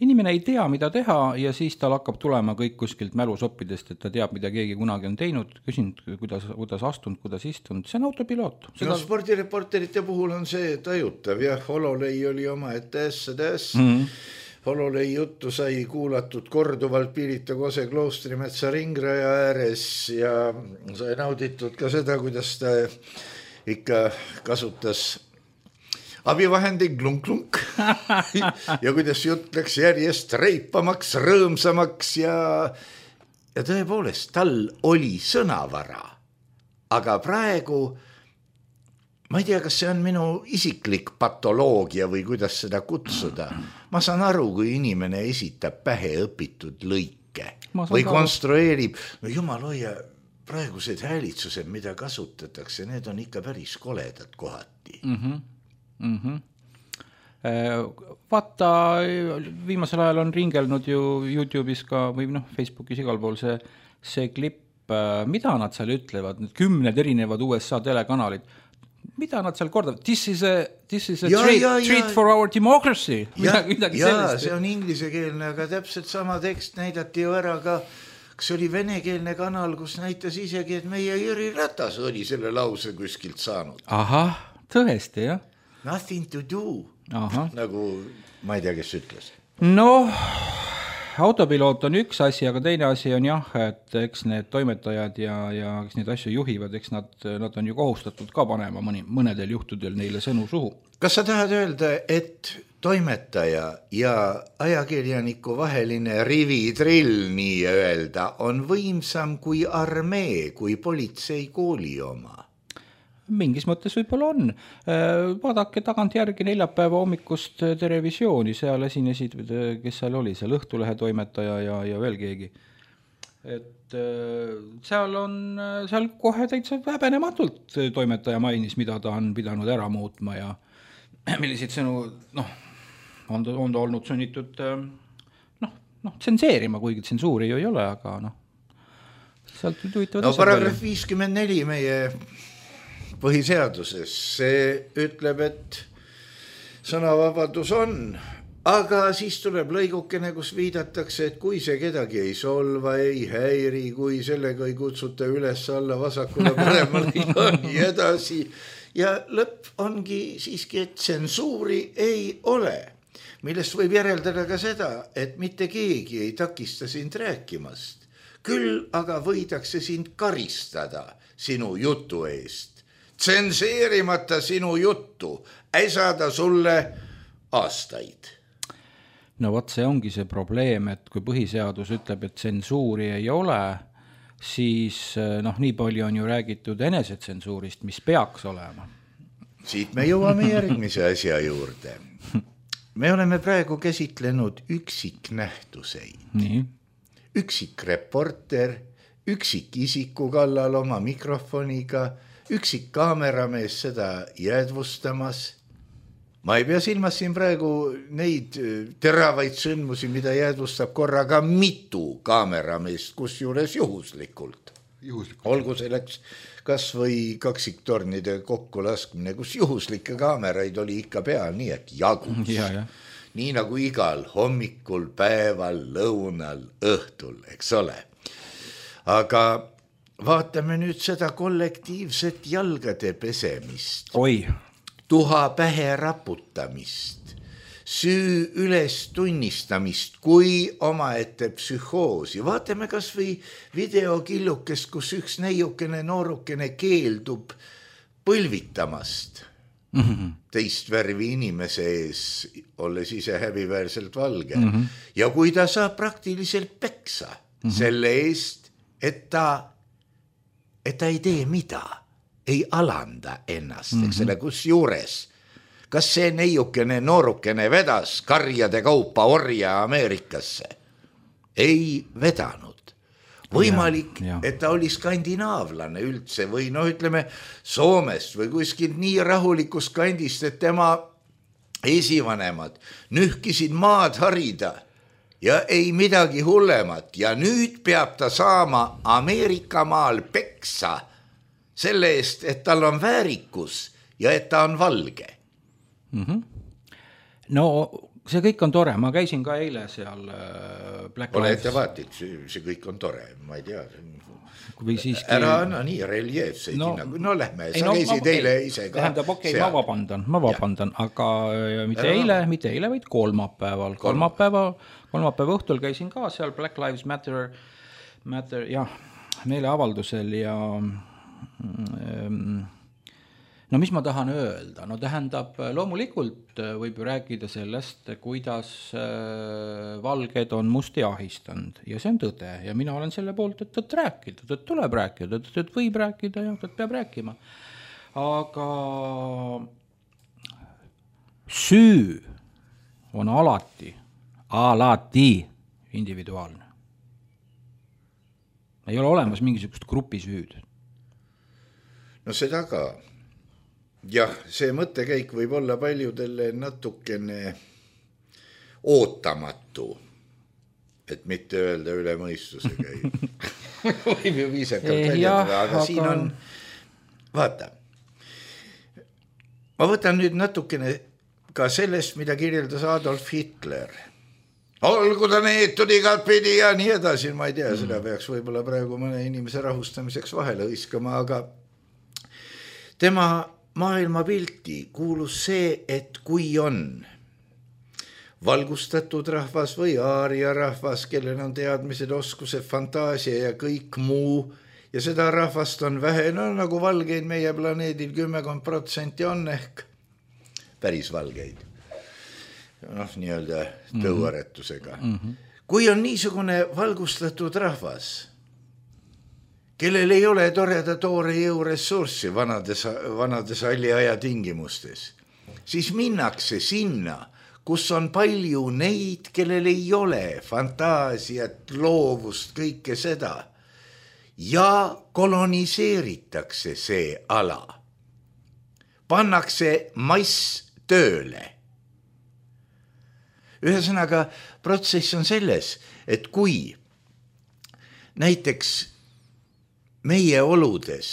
Inimene ei tea, mida teha ja siis tal hakkab tulema kõik kuskilt mälusoppidest, et ta teab, mida keegi kunagi on teinud, küsinud, kuidas astunud, kuidas istunud. See on autopiloot. Spordireporterite puhul on see tajutav. Jah, Hololei oli oma etäs. Hololei juttu sai kuulatud korduvalt Pirita Kose kloostrimetsa ringraja ääres ja sai nauditud ka seda, kuidas ta ikka kasutas abivahendi klunk-klunk ja kuidas jutt läks järjest reipamaks, rõõmsamaks ja tõepoolest tal oli sõnavara. Aga praegu ma ei tea, kas see on minu isiklik patoloogia või kuidas seda kutsuda. Ma saan aru, kui inimene esitab pähe õpitud lõike või konstrueerib, no jumal hoia, praegused häälitsused, mida kasutatakse, need on ikka päris koledad kohati. Vaata, viimasel ajal on ringelnud ju YouTube'is ka või Facebookis igal pool see klipp, mida nad seal ütlevad, need 10 erinevad USA telekanalid, mida nad seal kordavad? This is a treat for our democracy. Midagi sellist. See on inglisekeelne, aga täpselt sama tekst näidati ju ära ka, kas oli venekeelne kanal, kus näitas isegi, et meie Jüri Ratas oli selle lause kuskilt saanud. Ahah, tõesti, jah. Nothing to do. Nagu, ma ei tea, kes ütles. No, autopiloot on üks asi, aga teine asi on jah, et eks need toimetajad ja kes neid asju juhivad, eks nad on ju kohustatud ka panema mõnedel juhtudel neile sõnu suhu. Kas sa tahad öelda, et toimetaja ja ajakirjaniku vaheline rivitrill nii öelda on võimsam kui armee, kui politsei kooli oma? Mingis mõttes võib-olla on. Vaadake tagantjärgi neljapäeva hommikust televisiooni, seal esinesid, kes seal oli, seal Õhtulehe toimetaja ja veel keegi. Et seal kohe täitsa häbenematult toimetaja mainis, mida ta on pidanud ära muutma ja milliseid sõnu, on ta olnud sunnitud tsenseerima, kuigi tsensuuri ju ei ole, aga sealt huvitavad asjad. Paragrahv 54 meie põhiseaduses, see ütleb, et sõnavabadus on, aga siis tuleb lõigukene, kus viidatakse, et kui see kedagi ei solva, ei häiri, kui sellega ei kutsuta üles alla vasakule paremale ja nii edasi. Ja lõpp ongi siiski, et tsensuuri ei ole, millest võib järeldada ka seda, et mitte keegi ei takista sind rääkimast. Küll aga võidakse sind karistada sinu jutu eest. Tsenseerimata sinu juttu ei saada sulle aastaid. No vot, see ongi see probleem, et kui põhiseadus ütleb, et tsensuuri ei ole, siis nii palju on ju räägitud enesetsensuurist, mis peaks olema. Siit me jõuame järgmise asja juurde. Me oleme praegu käsitlenud üksiknähtuseid. Nii. Üksikreporter, üksikisiku kallal oma mikrofoniga, üksik kaameramees seda jäädvustamas. Ma ei pea silmas siin praegu neid teravaid sündmusi, mida jäädvustab korraga mitu kaamerameest, kus juures juhuslikult. Olgu selleks kas või kaksiktornide kokkulaskmine, kus juhuslikke kaameraid oli ikka peal, nii et jagus. Nii nagu igal hommikul, päeval, lõunal, õhtul, eks ole. Aga vaatame nüüd seda kollektiivset jalgade pesemist. Tuha pähe raputamist, süü üles tunnistamist kui omaette psühhoosi. Vaatame kas või videokillukest, kus üks neiukene noorukene keeldub põlvitamast teist värvi inimese ees, olles ise häbiväärselt valge. Ja kui ta saab praktiliselt peksa selle eest, et ta ei tee mida, ei alanda ennast, eks selle kus juures. Kas see neiukene noorukene vedas karjade kaupa orja Ameerikasse? Ei vedanud. Võimalik, et ta oli skandinaavlane üldse või ütleme Soomest või kuskilt nii rahulikust kandist, et tema esivanemad nühkisid maad harida ja ei midagi hullemat ja nüüd peab ta saama Ameerika maal peksa selle eest, et tal on väärikus ja et ta on valge. No see kõik on tore, ma käisin ka eile seal Black Ole Lives. ettevaatik, see kõik on tore, ma ei tea. Siiski... Ära anna nii reljeefseid hinnagu. No lähme, sa käisid eile ise ka. Tähendab, ma vabandan, aga mitte eile, vaid kolmapäeval. Kolmapäeva õhtul käisin ka seal Black Lives Matter meeleavaldusel ja no mis ma tahan öelda? No tähendab, loomulikult võib ju rääkida sellest, kuidas valged on musti ahistanud ja see on tõde ja mina olen selle poolt, et tõtt rääkida, tõtt tuleb rääkida, tõtt võib rääkida ja tõtt peab rääkima. aga süü on alati individuaalne. Ei ole olemas mingisugust grupisüüd. No seda ka. Jah, see mõttekäik võib olla paljudele natukene ootamatu, et mitte öelda üle mõistuse käib. Võib ju viisakalt väljendada, aga siin on, vaata, ma võtan nüüd natukene ka sellest, mida kirjeldas Adolf Hitler. Olgu ta neetud igat pidi ja nii edasi, ma ei tea, seda peaks võib-olla praegu mõne inimese rahustamiseks vahele hõiskama, aga tema maailmapilti kuulus see, et kui on valgustatud rahvas või aaria rahvas, kellel on teadmised, oskused, fantaasia ja kõik muu, ja seda rahvast on vähe, no nagu valgeid meie planeedil 10% on ehk päris valgeid. Noh, nii-öelda tõuaretusega. Kui on niisugune valgustatud rahvas, kellel ei ole toreda toore jõuressurssi vanades alliaja tingimustes, siis minnakse sinna, kus on palju neid, kellel ei ole fantaasiat, loovust, kõike seda, ja koloniseeritakse see ala. Pannakse mass tööle. Ühesõnaga, protsess on selles, et kui näiteks meie oludes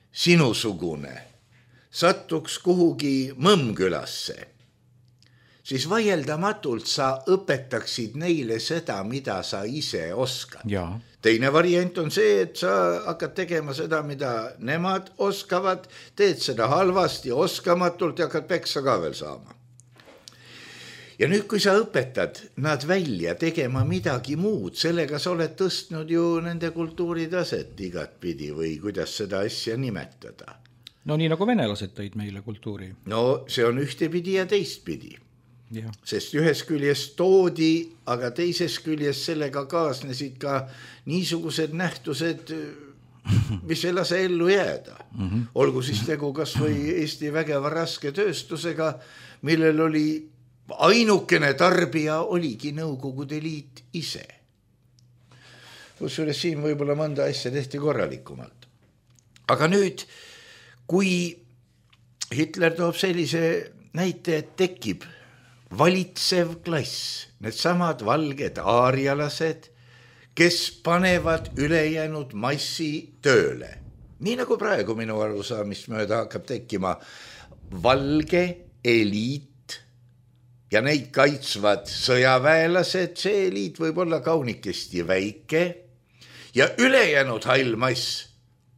sinusugune sattuks kuhugi Mõmmkülasse, siis vaieldamatult sa õpetaksid neile seda, mida sa ise oskad. Ja. Teine variant on see, et sa hakkad tegema seda, mida nemad oskavad, teed seda halvasti, oskamatult ja hakkad peksa ka veel saama. Ja nüüd, kui sa õpetad nad välja tegema midagi muud, sellega sa oled tõstnud ju nende kultuuritaset igat pidi või kuidas seda asja nimetada. No nii nagu venelased tõid meile kultuuri. No see on ühtepidi ja teistpidi. Ja. Sest ühes küljest toodi, aga teises küljest sellega kaasnesid ka niisugused nähtused, mis ei lase ellu jääda. Olgu siis tegu kas või Eesti vägeva raske tööstusega, millel oli ainukene tarbija oligi Nõukogude Liit ise. Kusjuures siin võib-olla mõnda asja tehti korralikumalt. Aga nüüd, kui Hitler toob sellise näite, et tekib valitsev klass, need samad valged aarialased, kes panevad ülejäänud massi tööle. Nii nagu praegu minu arusaamist mööda hakkab tekkima valge eliit, ja neid kaitsvad sõjaväelased, see eliit võib olla kaunikesti väike ja ülejäänud hall mass,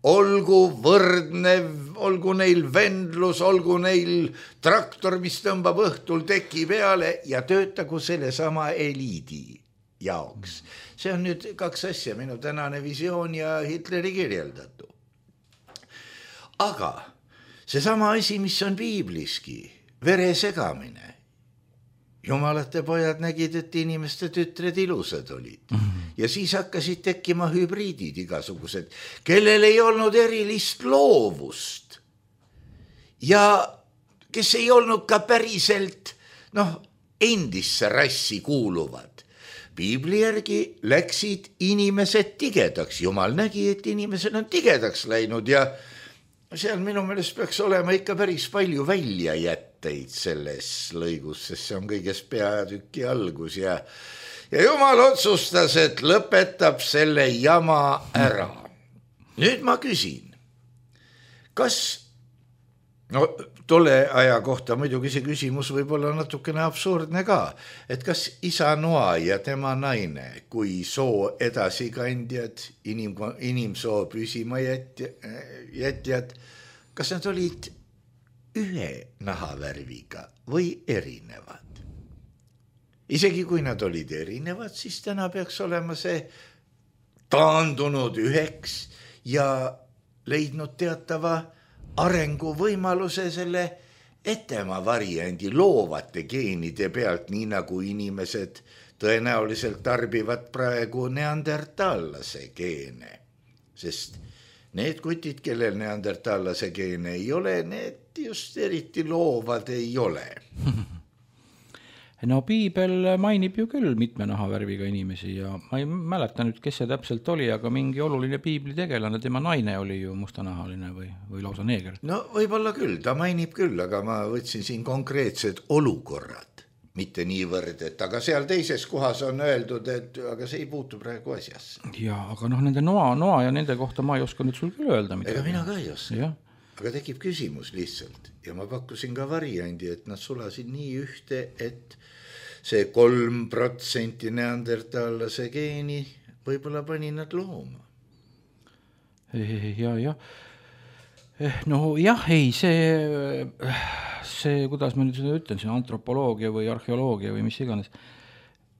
olgu võrdnev, olgu neil vendlus, olgu neil traktor, mis tõmbab õhtul teki peale ja töötagu selle sama eliidi jaoks. See on nüüd kaks asja, minu tänane visioon ja Hitleri kirjeldatu. Aga see sama asi, mis on piibliski, vere segamine. Jumalate pojad nägid, et inimeste tütred ilusad olid. Ja siis hakkasid tekkima hübriidid igasugused, kellel ei olnud erilist loovust. Ja kes ei olnud ka päriselt endisse rassi kuuluvad. Piibli järgi läksid inimesed tigedaks. Jumal nägi, et inimesed on tigedaks läinud ja seal minu meelest peaks olema ikka päris palju väljajätteid selles lõigus, sest see on kõigest peatüki algus ja Jumal otsustas, et lõpetab selle jama ära. Nüüd ma küsin, kas, tolle aja kohta muidugi see küsimus võib olla natukene absurdne ka, et kas isa noa ja tema naine, kui soo edasikandjad, inimsoo püsima jätjad, kas nad olid ühe nahavärviga või erinevad? Isegi kui nad olid erinevad, siis täna peaks olema see taandunud üheks ja leidnud teatava arenguvõimaluse selle etema variandi loovate geenide pealt, nii nagu inimesed tõenäoliselt tarbivad praegu neandertallase geene, sest need kutid, kellel neandertaalase geene ei ole, need just eriti loovad ei ole. No piibel mainib ju küll mitme nahavärviga inimesi ja ma ei mäleta nüüd, kes see täpselt oli, aga mingi oluline piibli tegelane, tema naine oli ju mustanahaline või lausa neeger. No võib-olla küll, ta mainib küll, aga ma võtsin siin konkreetsed olukorrad, mitte niivõrd, et aga seal teises kohas on öeldud, et aga see ei puutu praegu asjasse. Ja, aga nende noa ja nende kohta ma ei oska nüüd sul küll öelda midagi. Ega mina ka ei oska. Ja. Aga tekib küsimus lihtsalt ja ma pakkusin ka variandi, et nad sulasid nii ühte, et see 3% neandertaalase geeni võib-olla pani nad looma. Ja. No jah, ei, see, kuidas ma nüüd seda ütlen, see antropoloogia või arheoloogia või mis iganes,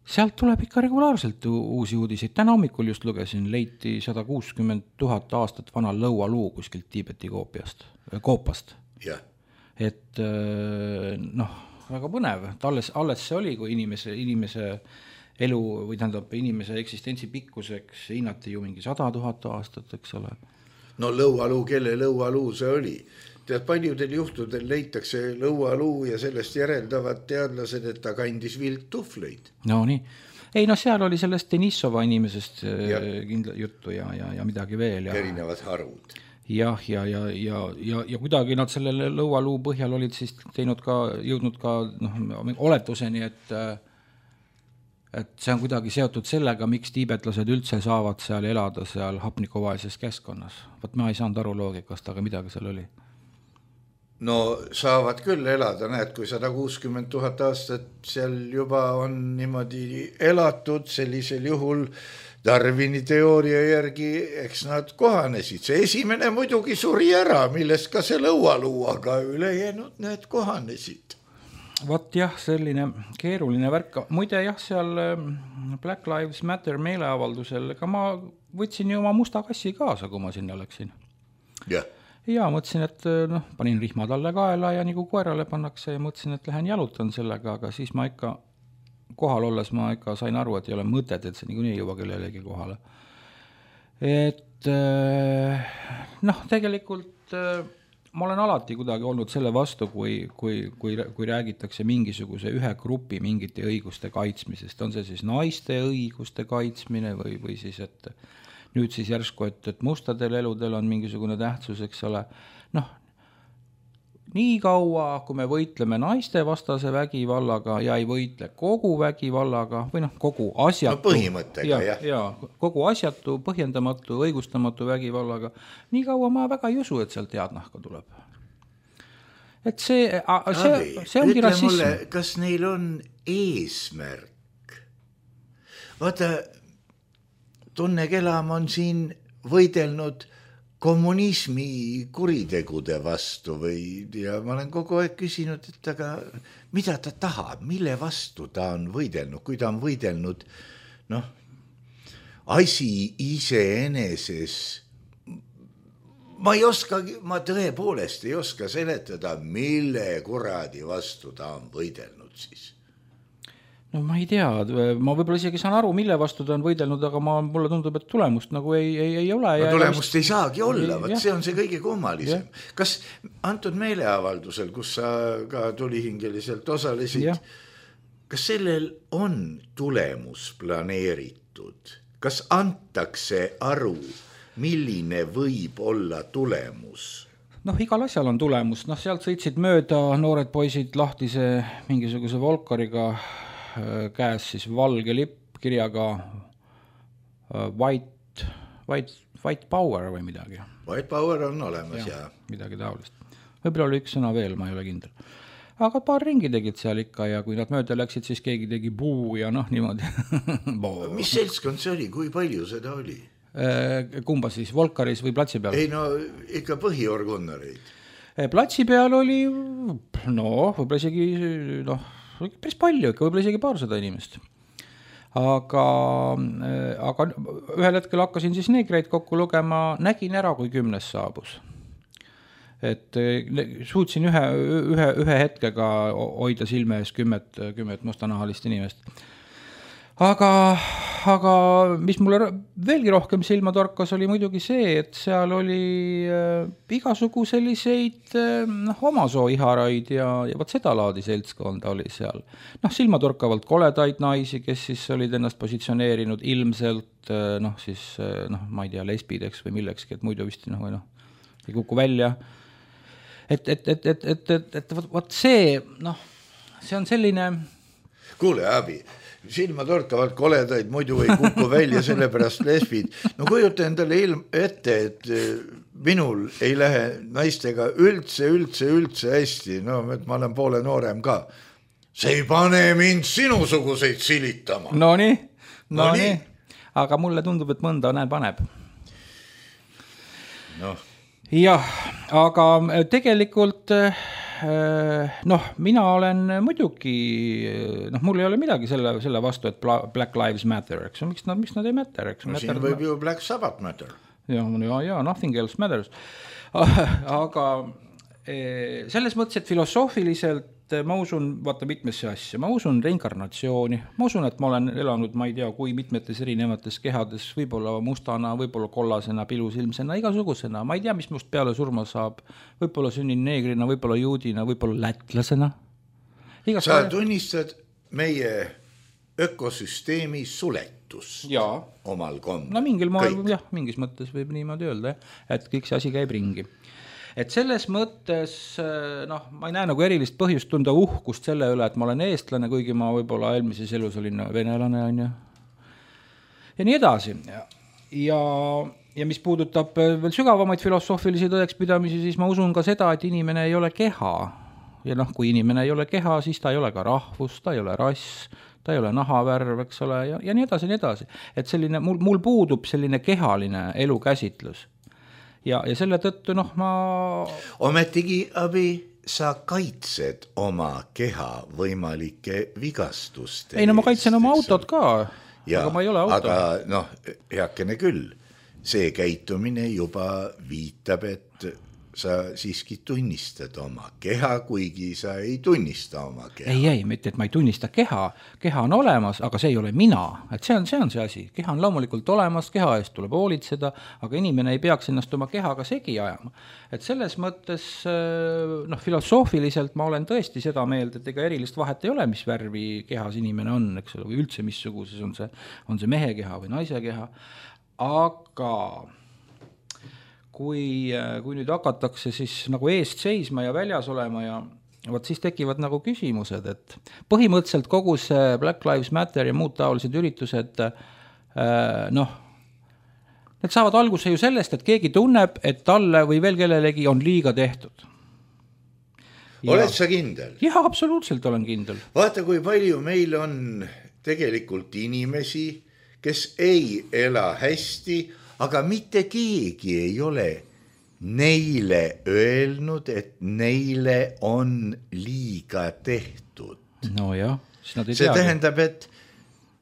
sealt tuleb ikka regulaarselt uusi uudiseid. Täna hommikul just lugesin, leiti 160 000 aastat vana lõualuu kuskilt Tiibeti koopast. Ja. Et väga põnev, et alles see oli, kui inimese elu või tähendab inimese eksistentsi pikkuseks hinnati ju mingi 100 000 aastat, eks ole. No lõualuu, kelle lõualuu see oli? Tead, paljudel juhtudel leitakse lõualuu ja sellest järeldavad teadlased, et ta kandis viltufleid. No nii. Ei, seal oli sellest Denissova inimesest kindla juttu ja midagi veel. Ja. Erinevad harud. Jah, ja kuidagi nad selle lõualuu põhjal olid siis jõudnud ka oletuseni, et see on kuidagi seotud sellega, miks tiibetlased üldse saavad seal elada seal hapnikuvaelises keskkonnas. Võt ma ei saanud aru loogikast, aga midagi seal oli. No saavad küll elada, näed, kui 160 000 aastat seal juba on niimoodi elatud, sellisel juhul Darwini teooria järgi, eks nad kohanesid. See esimene muidugi suri ära, millest ka see lõualuu, aga ülejäänud need kohanesid. Vot jah, selline keeruline värk. Muide jah, seal Black Lives Matter meeleavaldusel, ega ma võtsin ju oma musta kassi kaasa, kui ma sinna läksin. Ja mõtlesin, et panin rihmad alle kaela ja nagu koerale pannakse ja mõtlesin, et lähen jalutan sellega, aga siis ma ikka kohal olles ma ikka sain aru, et ei ole mõtet, et see niikuinii ei jõua kellelegi kohale. Et tegelikult ma olen alati kuidagi olnud selle vastu, kui räägitakse mingisuguse ühe grupi mingite õiguste kaitsmisest. On see siis naiste õiguste kaitsmine või siis, et nüüd siis järsku, et mustadel eludel on mingisugune tähtsus, eks ole. Nii kaua, kui me võitleme naiste vastase vägivallaga ja ei võitle kogu vägivallaga või kogu asjatu, põhimõttega, kogu asjatu, põhjendamatu, õigustamatu vägivallaga, nii kaua ma väga ei usu, et sealt head nahka tuleb. Et see ongi rassism. Mulle, kas neil on eesmärk? Vaata, Tunne Kelam on siin võidelnud kommunismi kuritegude vastu ja ma olen kogu aeg küsinud, et aga mida ta tahab, mille vastu ta on võidelnud, kui ta on võidelnud, asi iseeneses, ma tõepoolest ei oska seletada, mille kuradi vastu ta on võidelnud siis. No ma ei tea, ma võib-olla isegi saan aru, mille vastu ta on võidelnud, aga mulle tundub, et tulemust nagu ei ole. No tulemust ei saagi olla, see on see kõige kummalisem. Kas antud meeleavaldusel, kus sa ka tulihingeliselt osalesid, kas sellel on tulemus planeeritud? Kas antakse aru, milline võib olla tulemus? Igal asjal on tulemus. Sealt sõitsid mööda noored poisid lahtise mingisuguse Volkariga käes siis valge lipp kirjaga white power või midagi. White power on olemas, ja. Midagi taolist. Võib-olla oli üks sõna veel, ma ei ole kindel. Aga paar ringi tegid seal ikka ja kui nad mööda läksid, siis keegi tegi buu ja niimoodi. Mis seltskond see oli? Kui palju seda oli? Kumba siis, Volkaris või platsi peal? Ei, ikka põhiorgunnareid. Platsi peal oli, võib-olla isegi, päris palju, võib-olla isegi 200 inimest. Aga ühel hetkel hakkasin siis neegreid kokku lugema, nägin ära, kui 10 saabus. Et suutsin ühe hetkega hoida silme ees 10 mustanahalist inimest. aga mis mulle veelgi rohkem silma torkas, oli muidugi see, et seal oli igasugu selliseid omasoo iharaid ja võt seda laadi seltskonda oli seal. Silmatorkavalt koledaid naisi, kes siis olid ennast positsioneerinud ilmselt ma ei tea, lesbideks või millekski, et muidu vist ei kuku välja. Et võt see, see on selline... Kuule, Abi, silmatorkavalt koledaid muidu ei kuku välja, sellepärast lesbid. No kujuta endale ette, et minul ei lähe naistega üldse hästi. No, et ma olen poole noorem ka. See ei pane mind sinusuguseid silitama. No nii. Aga mulle tundub, et mõnda paneb. Jah, aga tegelikult... mina olen muidugi, mul ei ole midagi selle vastu, et Black Lives Matter, eks miks nad ei matter, eks siin võib ju Black Sabbath matter. Ja, nothing else matters. Aga selles mõttes, et filosoofiliselt ma usun, vaata mitmesse asja, ma usun reinkarnatsiooni, ma usun, et ma olen elanud, ma ei tea, kui mitmetes erinevates kehades, võib-olla mustana, võib-olla kollasena, pilusilmsena, igasugusena, ma ei tea, mis must peale surma saab, võib-olla sünnin neegrina, võib-olla juudina, võib-olla lätlasena. Sa tunnistad meie ökosüsteemi suletus omal kombel. No mingil moel, mingis mõttes võib niimoodi öelda, et kõik see asi käib ringi. Et selles mõttes, ma ei näe nagu erilist põhjust tunda uhkust selle üle, et ma olen eestlane, kuigi ma võib-olla eelmises elus olin venelane, on ju. Ja nii edasi. Ja mis puudutab veel sügavamaid filosoofilisi tõekspidamisi, siis ma usun ka seda, et inimene ei ole keha. Ja kui inimene ei ole keha, siis ta ei ole ka rahvus, ta ei ole rass, ta ei ole nahavärv, eks ole, ja nii edasi. Et selline, mul puudub selline kehaline elukäsitlus. Ja selle tõttu, ma... Ometigi, Abi, sa kaitsed oma keha võimalike vigastuste. Ei, ma kaitsen oma autot ka, aga ma ei ole auto. Aga, heakene küll, see käitumine juba viitab, et sa siiski tunnistad oma keha, kuigi sa ei tunnista oma keha. Ei, mitte, et ma ei tunnista keha. Keha on olemas, aga see ei ole mina. Et see on see asi. Keha on loomulikult olemas, keha eest tuleb hoolitseda, aga inimene ei peaks ennast oma kehaga segi ajama. Et selles mõttes, filosoofiliselt ma olen tõesti seda meelt, et ega erilist vahet ei ole, mis värvi kehas inimene on, eks ole, või üldse missuguses on see mehe keha või naise keha. Aga... Kui nüüd hakatakse siis nagu eest seisma ja väljas olema ja siis tekivad nagu küsimused, et põhimõtteliselt kogu see Black Lives Matter ja muud taolised üritused, need saavad alguse ju sellest, et keegi tunneb, et talle või veel kellelegi on liiga tehtud. Oled sa kindel? Jah, absoluutselt olen kindel. Vaata, kui palju meil on tegelikult inimesi, kes ei ela hästi, aga mitte keegi ei ole neile öelnud, et neile on liiga tehtud. No jah, siis nad ei see tähendab, et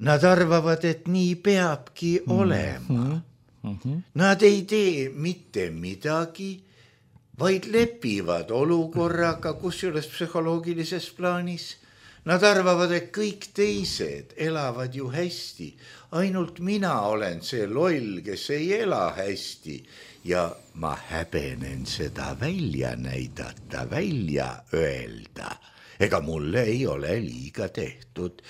nad arvavad, et nii peabki olema. Nad ei tee mitte midagi, vaid lepivad olukorraga, kusjuures psühholoogilises plaanis. Nad arvavad, et kõik teised elavad ju hästi. Ainult mina olen see loll, kes ei ela hästi. Ja ma häbenen seda välja näidata, välja öelda. Ega mulle ei ole liiga tehtud.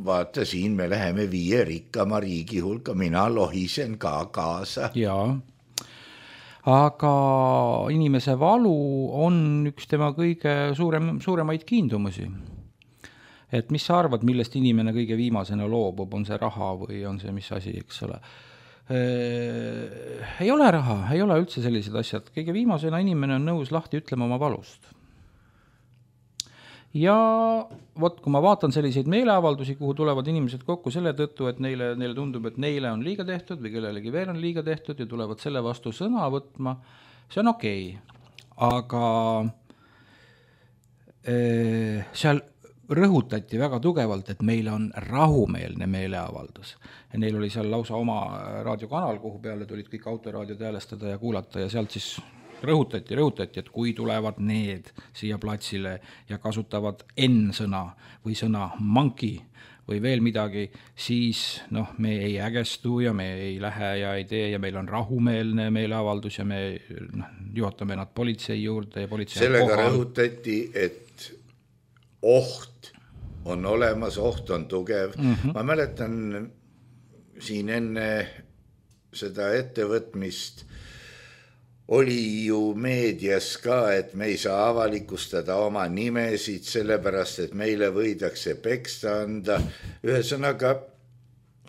Vaata, siin me läheme 5 rikkama riigi hulka, mina lohisen ka kaasa. Jaa. Aga inimese valu on üks tema kõige suuremaid kiindumusi. Et mis sa arvad, millest inimene kõige viimasena loobub, on see raha või on see mis asi, eks ole. Ei ole raha, ei ole üldse sellised asjad. Kõige viimasena inimene on nõus lahti ütlema oma valust. Ja kui ma vaatan selliseid meeleavaldusi, kuhu tulevad inimesed kokku selle tõttu, et neile tundub, et neile on liiga tehtud või kellelegi veel on liiga tehtud ja tulevad selle vastu sõna võtma, see on okei. Aga seal rõhutati väga tugevalt, et meil on rahumeelne meeleavaldus. Ja neil oli seal lausa oma raadiokanal, kuhu peale tulid kõik autoraadiod häälestada ja kuulata ja sealt siis rõhutati, et kui tulevad need siia platsile ja kasutavad N-sõna või sõna monkey või veel midagi, siis noh, me ei ägestu ja me ei lähe ja ei tee ja meil on rahumeelne meeleavaldus ja me juhatame nad politsei juurde ja politsei sellega rõhutati, et oht on olemas, oht on tugev. Ma mäletan siin enne seda ettevõtmist oli ju meedias ka, et me ei saa avalikustada oma nimesid, sellepärast, et meile võidakse peksta anda. Ühesõnaga,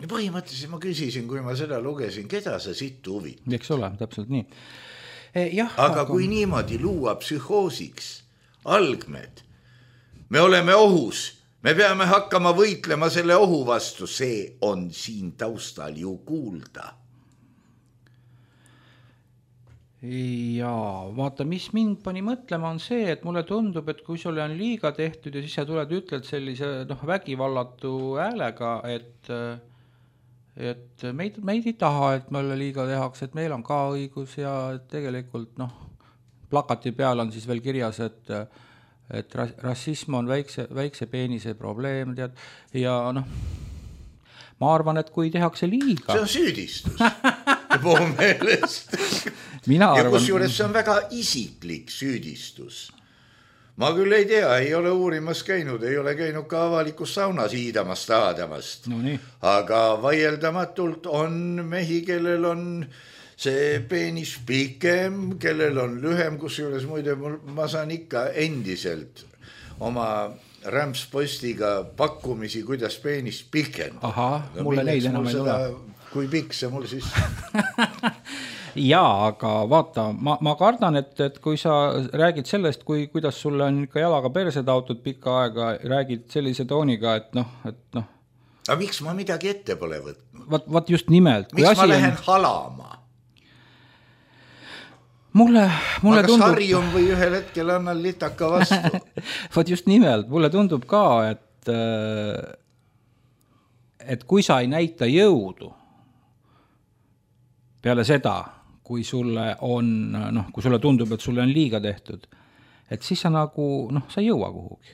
põhimõtteliselt ma küsisin, kui ma seda lugesin, keda sa siit huvid? Eks ole, täpselt nii. Aga kui niimoodi luua psühhoosiks algmed, me oleme ohus, me peame hakkama võitlema selle ohu vastu, see on siin taustal ju kuulda. Jaa, vaata, mis mind pani mõtlema on see, et mulle tundub, et kui sulle on liiga tehtud ja siis sa tuled ütled sellise vägivallatu häälega, et meid ei taha, et meile liiga tehakse, et meil on ka õigus ja tegelikult plakati peal on siis veel kirjas, et rassism on väikse peenise probleem, tead, ja ma arvan, et kui tehakse liiga... See on süüdistus, puhu meelest. Ja kusjuures see on väga isiklik süüdistus. Ma küll ei tea, ei ole uurimas käinud, ei ole käinud ka avalikus saunas hiidamast, taadamast. No nii. Aga vaieldamatult on mehi, kellel on see peenis pikem, kellel on lühem, kusjuures muide ma saan ikka endiselt oma rämpspostiga pakkumisi, kuidas peenis piken. Aha, mulle neid enam ei ole. Kui pikk see mul siis... Jaa, aga vaata, ma kardan, et kui sa räägid sellest, kuidas sulle on ikka jalaga perse taotud pikka aega, räägid sellise tooniga, et Aga miks ma midagi ette pole võtnud? Vaat just nimelt. Miks ma lähen halama? Mulle kas tundub... harjun või ühel hetkel annan litaka vastu? Vaat just nimelt, mulle tundub ka, et kui sa ei näita jõudu peale seda, kui sulle tundub, et sulle on liiga tehtud, et siis sa sa ei jõua kuhugi.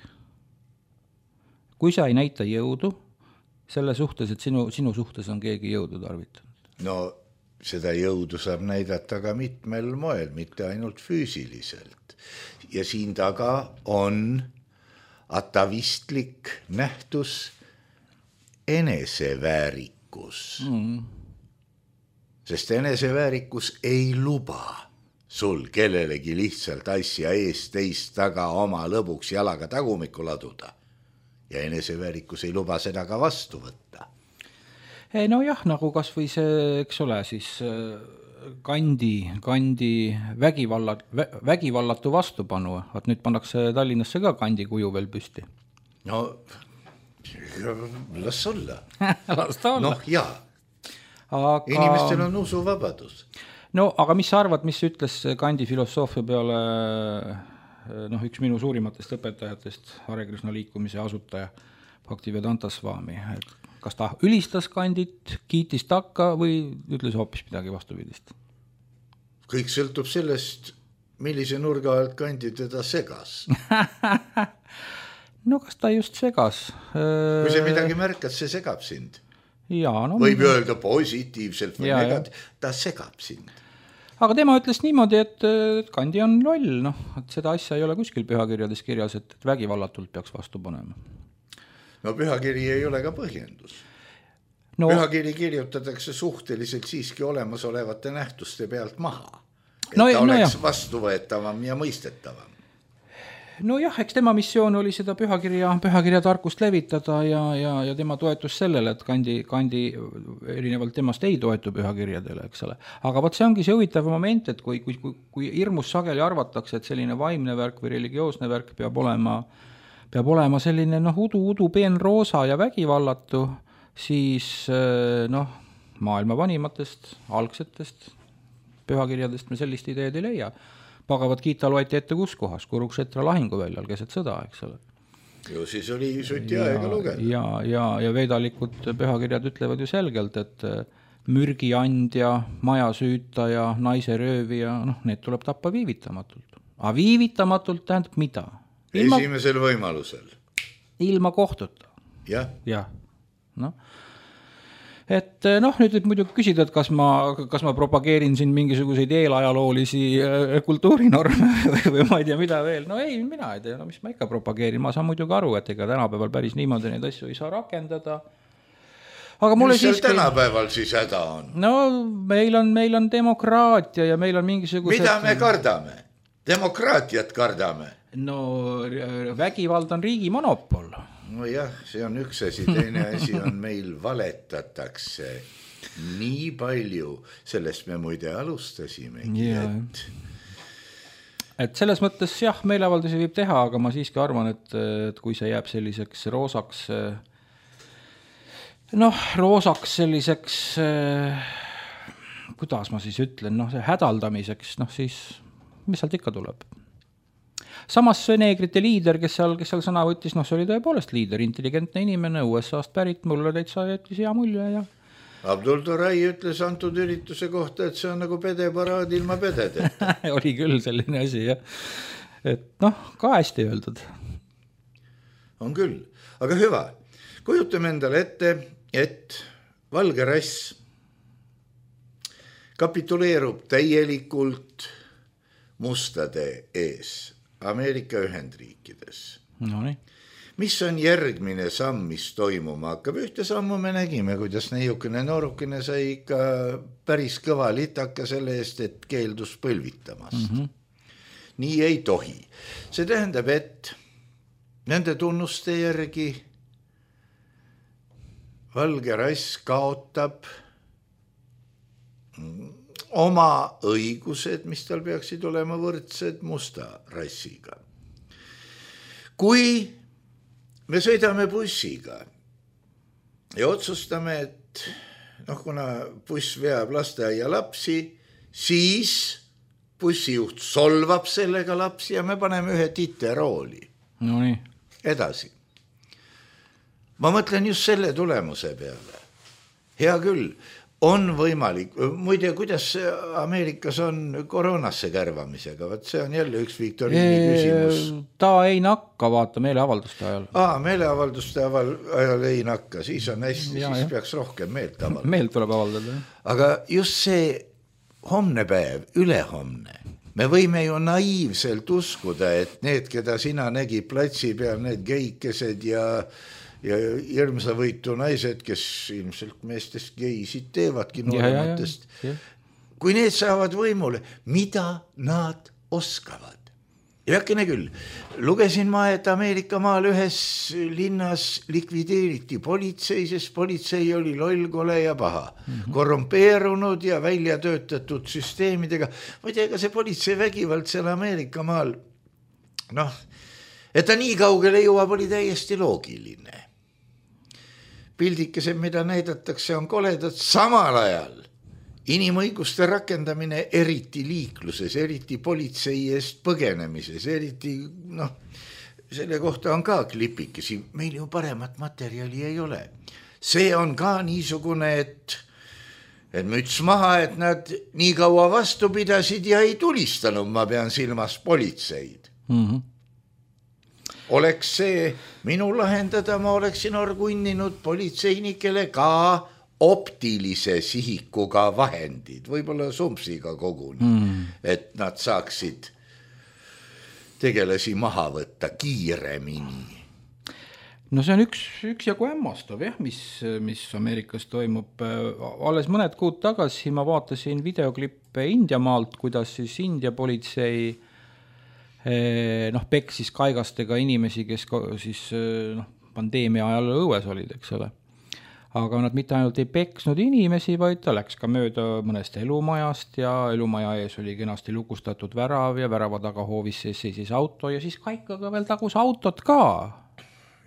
Kui sa ei näita jõudu selle suhtes, et sinu suhtes on keegi jõudu tarvitanud. No seda jõudu saab näidata ka mitmel moel, mitte ainult füüsiliselt. Ja siin taga on atavistlik nähtus eneseväärikus. Sest eneseväärikus ei luba sul kellelegi lihtsalt asja eest teist taga oma lõbuks jalaga tagumikku laduda. Ja eneseväärikus ei luba seda ka vastu võtta. No jah, nagu kas või see, eks ole, siis kandi vägivallatu vastupanu. Vaat nüüd pannakse Tallinnasse ka kandi kuju veel püsti. No, las olla. Las ta olla. Jaa. Aga... inimestel on usuvabadus. No, aga mis sa arvad, mis ütles kandi filosoofia peale üks minu suurimatest õpetajatest, Hare Krishna liikumise asutaja, Bhaktivedanta Swami. Kas ta ülistas kandit, kiitis takka või ütles hoopis midagi vastupidist? Kõik sõltub sellest, millise nurga alt kandi teda segas. No, kas ta just segas? Kui see midagi märkad, see segab sind. Võib öelda positiivselt või negatiivselt, ta segab sind. Aga tema ütles niimoodi, et kandi on loll, et seda asja ei ole kuskil pühakirjades kirjas, et vägivallatult peaks vastu panema. No pühakiri ei ole ka põhjendus. Pühakiri kirjutatakse suhteliselt siiski olemasolevate nähtuste pealt maha, et ta oleks vastuvõetavam ja mõistetavam. No jah, eks tema missioon oli seda pühakirja tarkust levitada ja tema toetus sellele, et kandi erinevalt temast ei toetu pühakirjadele, eks ole. Aga võt see ongi see huvitav moment, et kui hirmus sageli arvatakse, et selline vaimne värk või religioosne värk peab olema selline udu peenroosa ja vägivallatu, siis maailma vanimatest, algsetest pühakirjadest me sellist ideed ei leia. Bhagavad Gita loeti ette kus kohas, Kurukshetra lahinguväljal keset sõda, eks ole. Ju siis oli suti aega lugeda. Ja vedalikud pühakirjad ütlevad ju selgelt, et mürgiandja, majasüütaja, naise röövija, need tuleb tappa viivitamatult. Aga viivitamatult tähendab mida? Esimesel võimalusel. Ilma kohtuta. Jah. Noh, et nüüd muidugi küsida, et kas ma propageerin siin mingisuguseid eelajaloolisi kultuurinorme või ma ei tea, mida veel. No ei, mina ei tea, mis ma ikka propageerin. Ma saan muidugi aru, et ega tänapäeval päris niimoodi neid asju ei saa rakendada. Aga mulle mis seal tänapäeval siis häda on? No meil on demokraatia ja meil on mingisugused... Mida me kardame? Demokraatiat kardame? No vägivald on riigi monopol. No jah, see on üks asi, teine asi on meil valetatakse nii palju, sellest me muide alustasimegi. Et selles mõttes jah, meeleavaldusi võib teha, aga ma siiski arvan, et kui see jääb selliseks roosaks selliseks, kuidas ma siis ütlen, see hädaldamiseks, siis mis sealt ikka tuleb? Samas see neegrite liider, kes seal sõna võttis, see oli tõepoolest liider, intelligentne inimene, USA-st pärit, mulle täitsa jättis hea mulje ja... Abdul Torai ütles antud ürituse kohta, et see on nagu pedeparaad ilma pededeta. Oli küll selline asi, jah. Et ka hästi öeldud. On küll, aga hüva. Kujutame endale ette, et valge rass kapituleerub täielikult mustade ees Ameerika Ühendriikides. Nonii. Mis on järgmine samm, mis toimuma hakkab? Ühte sammu me nägime, kuidas neiukene noorukene sai ikka päris kõva litaka selle eest, et keeldus põlvitamast. Nii ei tohi. See tähendab, et nende tunnuste järgi valge rass kaotab oma õigused, mis tal peaksid olema võrdsed musta rassiga. Kui me sõidame bussiga ja otsustame, et kuna buss veab lasteaia lapsi, siis bussijuht solvab sellega lapsi ja me paneme ühe titerooli. Nonii. Edasi. Ma mõtlen just selle tulemuse peale. Hea küll. On võimalik, muide, kuidas Ameerikas on koroonasse kärvamisega, vaat see on jälle üks viktoriini küsimus. Ta ei nakka, vaata, meeleavalduste ajal. Meeleavalduste ajal ei nakka, siis on hästi, siis peaks rohkem meelt avaldada. Meelt tuleb avaldada. Aga just see homne päev, ülehomne, me võime ju naiivselt uskuda, et need, keda sina nägi platsi peal, need geikesed ja hirmsavõitu naised, kes ilmselt meestest geisid teevadki noorematest. Kui need saavad võimule, mida nad oskavad? Ja äkkene küll, lugesin ma, et Ameerika maal ühes linnas likvideeriti politsei, sest politsei oli lollkole ja paha. Korrumpeerunud ja välja töötatud süsteemidega. Ma ei tea, ega see politsei vägivald seal Ameerika maal, et ta nii kaugele jõuab, oli täiesti loogiline. Pildikesed, mida näidatakse, on koledad samal ajal. Inimõiguste rakendamine eriti liikluses, eriti politsei eest põgenemises, eriti, selle kohta on ka klipikesi. Meil ju paremat materjali ei ole. See on ka niisugune, et müts maha, et nad nii kaua vastu pidasid ja ei tulistanud, ma pean silmas politseid. Oleks see minu lahendada, ma oleksin orgunninud politseinikele ka optilise sihikuga vahendid, võib-olla sumpsiga koguni, et nad saaksid tegelasi maha võtta kiiremini. No see on üks jagu hämmastav, mis Ameerikas toimub. Alles mõned kuud tagasi ma vaatasin videoklippe India maalt, kuidas siis India politsei peksis kaigastega inimesi, kes siis pandeemia ajal õues olid, eks ole. Aga nad mitte ainult ei peksnud inimesi, vaid ta läks ka mööda mõnest elumajast ja elumaja ees oli kenasti lukustatud värav ja värava taga hoovis seisis auto ja siis kaikaga veel tagus autot ka.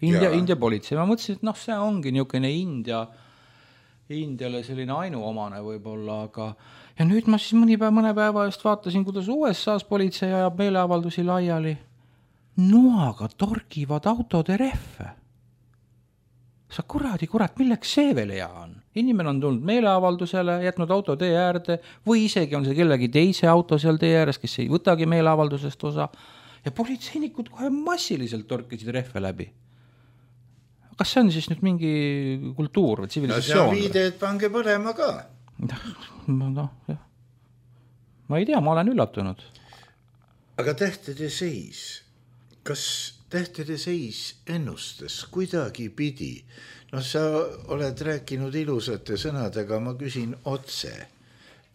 India politsei. Ma mõtlesin, et see ongi niisugune Indiale selline ainuomane võib-olla, aga ja nüüd ma siis mõne päeva eest vaatasin, kuidas USA's politsei ajab meeleavaldusi laiali. Noaga torgivad autode rehve. Sa kurat, milleks see veel hea on? Inimene on tulnud meeleavaldusele, jätnud auto tee äärde või isegi on see kellegi teise auto seal tee ääres, kes ei võtagi meeleavaldusest osa ja politseinikud kohe massiliselt torkisid rehve läbi. kas see on siis nüüd mingi kultuur või tsivilisatsioon? No see on viide, et pange põlema ka. No, jah. Ma ei tea, ma olen üllatunud. Aga tähtede seis, kas tähtede seis ennustas kuidagi pidi? No sa oled rääkinud ilusate sõnadega, ma küsin otse.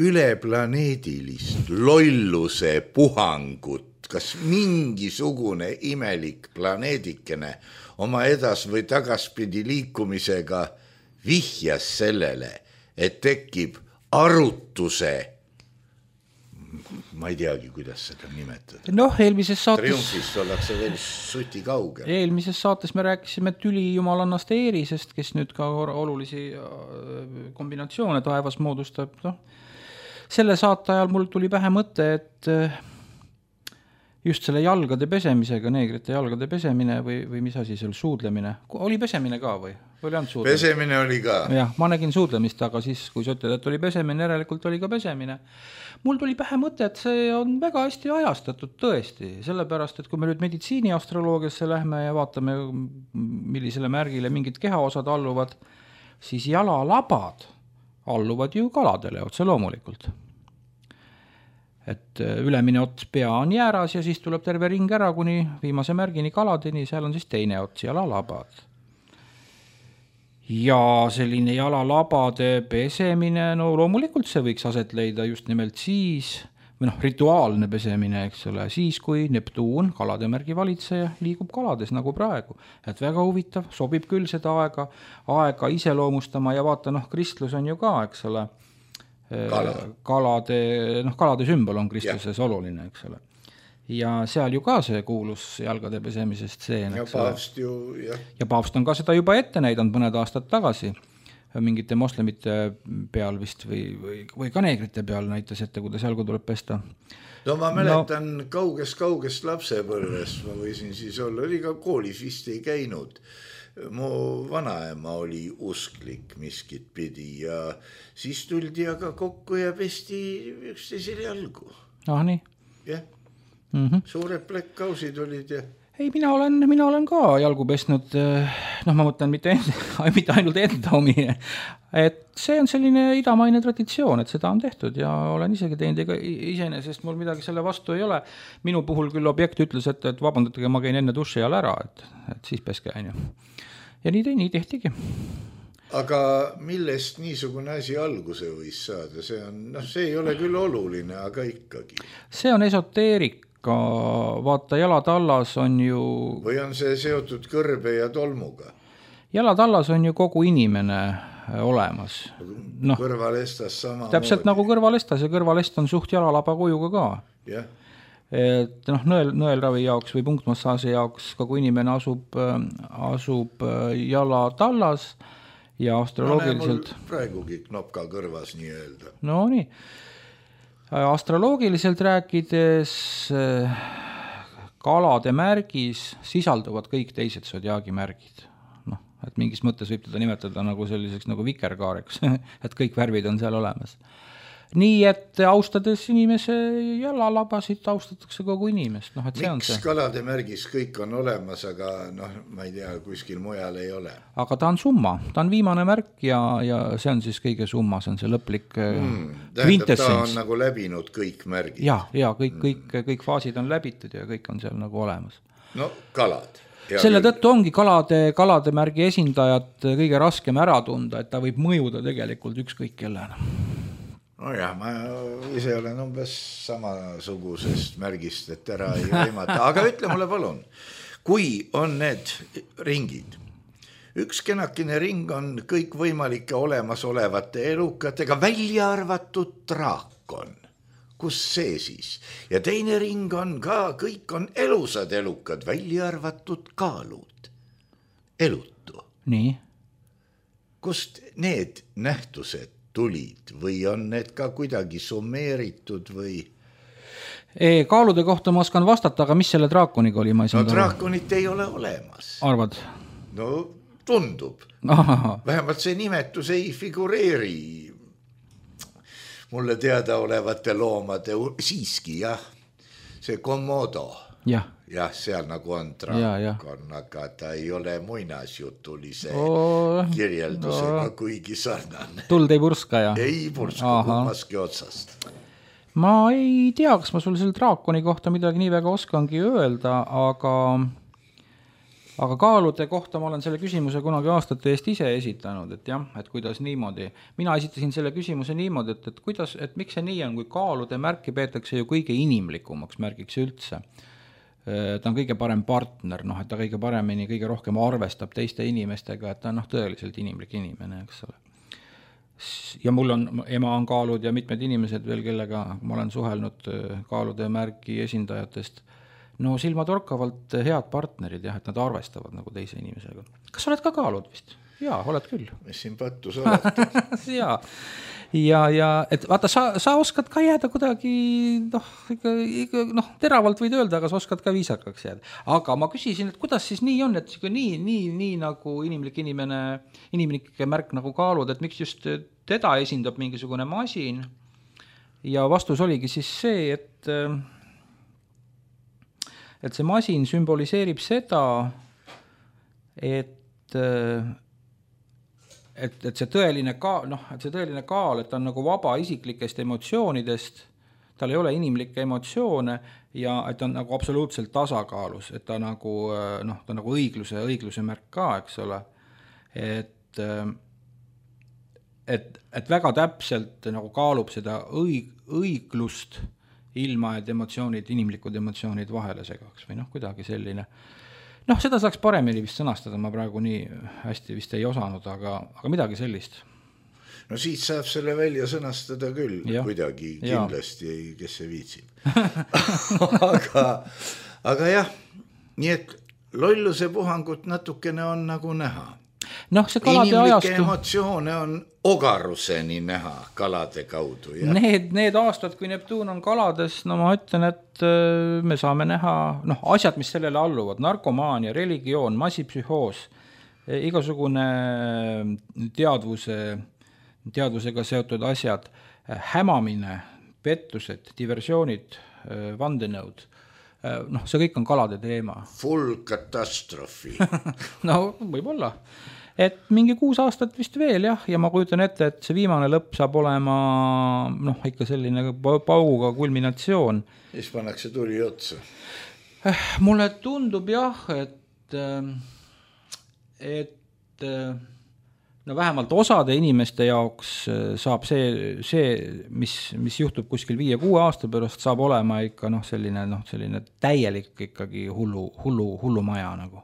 Üleplaneedilist lolluse puhangut, kas mingisugune imelik planeedikene oma edas- või tagaspidi liikumisega vihjas sellele, et tekib arutuse, ma ei teagi, kuidas seda nimetada. Noh, eelmises saates... Triumfist ollakse veel suti kaugel. Eelmises saates me rääkisime tüli jumalannast Eerisest, kes nüüd ka olulisi kombinatsioone taevas moodustab. No, selle saate ajal mul tuli pähe mõte, et just selle jalgade pesemisega, neegrite jalgade pesemine või mis asi seal, suudlemine. Oli pesemine ka või oli ainult suudlemine? Pesemine oli ka. Jah, ma nägin suudlemist, aga siis, kui sa ütled, et oli pesemine, järelikult oli ka pesemine. Mul tuli pähe mõte, et see on väga hästi ajastatud tõesti, sellepärast, et kui me nüüd meditsiiniastroloogiasse lähme ja vaatame, millisele märgile mingid kehaosad alluvad, siis jalalabad alluvad ju kaladele otse loomulikult. Et ülemine ots pea on jääras ja siis tuleb terve ring ära kuni viimase märgini kaladeni, seal on siis teine ots, jalalabad. Ja selline jalalabade pesemine, no loomulikult see võiks aset leida just nimelt siis, või rituaalne pesemine, eks ole, siis kui Neptuun, kalade märgi valitseja, liigub kalades nagu praegu. Et väga huvitav, sobib küll seda aega iseloomustama ja vaata, kristlus on ju ka, eks ole, kalade sümbol on kristluses oluline, eks ole. Ja seal ju ka see kuulus jalgade pesemise stseen. Ja paavst ju, jah. Ja paavst on ka seda juba ette näidanud mõned aastad tagasi. Mingite moslemite peal vist või ka neegrite peal näitas ette, kuidas jalgu tuleb pesta. No ma mäletan kaugest lapsepõlvest, ma võisin siis olla, oli ka koolis vist ei käinud. Mu vanaema oli usklik miskit pidi ja siis tuldi aga kokku ja pesti üksteisele jalgu. Nii. Jah, suured plekkausid olid ja... Ei, mina olen ka jalgu pestnud, ma mõtlen mitte ainult enda omi, et see on selline idamaine traditsioon, et seda on tehtud ja olen isegi teinud, ega iseenesest mul midagi selle vastu ei ole. Minu puhul küll objekt ütles, et vabandatage, ma käin enne duši ajal ära, et siis peske on ju. Ja nii tehtigi. Aga millest niisugune asi alguse võis saada? See ei ole küll oluline, aga ikkagi. See on esoteerik. Vaata, jalatallas on ju... Või on see seotud kõrbe ja tolmuga? Jalatallas on ju kogu inimene olemas. Kõrvalestas sama täpselt nagu kõrvalestas ja kõrvalest on suht jalalaba kujuga ka. Jah. Et nõelravi jaoks või punktmassaaži jaoks kogu inimene asub jalatallas ja astroloogiliselt... Mul praegugi knopka kõrvas nii öelda. No nii. Astroloogiliselt rääkides kalade märgis sisalduvad kõik teised sodiaagi märgid. Et mingis mõttes võib teda nimetada nagu selliseks nagu vikerkaareks, et kõik värvid on seal olemas. Nii, et austades inimese jalalabasid, austatakse kogu inimest. Miks kalade märgis kõik on olemas, aga ma ei tea, kuskil mujal ei ole? Aga ta on summa, ta on viimane märk ja see on siis kõige summa, see on see lõplik tähendab, ta on nagu läbinud kõik märgid. Ja kõik faasid on läbitud ja kõik on seal nagu olemas. No kalad. Selle tõttu ongi kalade märgi esindajat kõige raskem ära tunda, et ta võib mõjuda tegelikult ükskõik kellena. Nojah, ma ise olen umbes samasugusest märgist, et ära ei aimata. Aga ütle mulle palun, kui on need ringid, üks kenakene ring on kõik võimalike olemasolevate elukatega, välja arvatud draakon. Kus see siis? Ja teine ring on ka, kõik on elusad elukad, välja arvatud kaalud. Elutu. Nii. Kust need nähtused tulid või on need ka kuidagi summeeritud või? Kaalude kohta ma oskan vastata, aga mis selle draakoniga oli? Draakonit ei ole olemas. Arvad? No tundub. Vähemalt see nimetus ei figureeri mulle teada olevate loomade, siiski jah, see Komodo. jah, seal nagu on draakon, aga ta ei ole muinasjutulise kirjeldusega kuigi sarnane. Tuld ei purska ja? Ei purska kummaski otsast. Ma ei tea, kas ma sulle selle draakoni kohta midagi nii väga oskangi öelda, aga kaalude kohta ma olen selle küsimuse kunagi aastate eest ise esitanud, et jah, et kuidas niimoodi. Mina esitasin selle küsimuse niimoodi, et miks see nii on, kui kaalude märki peetakse ju kõige inimlikumaks märgiks üldse. Ta on kõige parem partner, et ta kõige paremini, kõige rohkem arvestab teiste inimestega, et ta on tõeliselt inimlik inimene, eks ole. Ja mul on, ema on kaalud ja mitmed inimesed veel, kellega ma olen suhelnud kaalude märgi esindajatest, no silmatorkavalt head partnerid, jah, et nad arvestavad nagu teise inimesega. Kas oled ka kaalud vist? Jaa, oled küll. Mis siin pattus olete? Jaa. Ja et vaata, sa oskad ka jääda kuidagi, teravalt võid öelda, aga sa oskad ka viisakaks jääda. Aga ma küsisin, et kuidas siis nii on, et nii nagu inimlik inimlike märk nagu kaalud, et miks just teda esindab mingisugune masin. Ja vastus oligi siis see, et see masin sümboliseerib seda, et see tõeline kaal, et ta on nagu vaba isiklikest emotsioonidest, tal ei ole inimlikke emotsioone ja et ta on nagu absoluutselt tasakaalus, et ta nagu, ta nagu õigluse märk ka, eks ole. Et väga täpselt nagu kaalub seda õiglust, ilma, et inimlikud emotsioonid vahele segaks või kuidagi selline. Seda saaks paremini vist sõnastada, ma praegu nii hästi vist ei osanud, aga midagi sellist. No siit saab selle välja sõnastada küll, kuidagi kindlasti, kes see viitsib. aga jah, nii et lolluse puhangut natukene on nagu näha. See kalade inimlikke emotsioone on ogaruseni näha kalade kaudu. Ja? Need aastad, kui Neptuun on kalades, ma ütlen, et me saame näha asjad, mis sellele alluvad, narkomaania, religioon, massipsühhoos, igasugune teadvusega seotud asjad, hämamine, pettused, diversioonid, vandenõud. See kõik on kalade teema. Full katastroofi. Võib-olla. Et mingi 6 aastat vist veel, jah, ja ma kujutan ette, et see viimane lõpp saab olema ikka selline pauguga kulminatsioon. Siis pannakse tuli otsa. Mulle tundub jah, et vähemalt osade inimeste jaoks saab see mis juhtub kuskil 5-6 aasta pärast, saab olema ikka selline täielik ikkagi hullu maja nagu.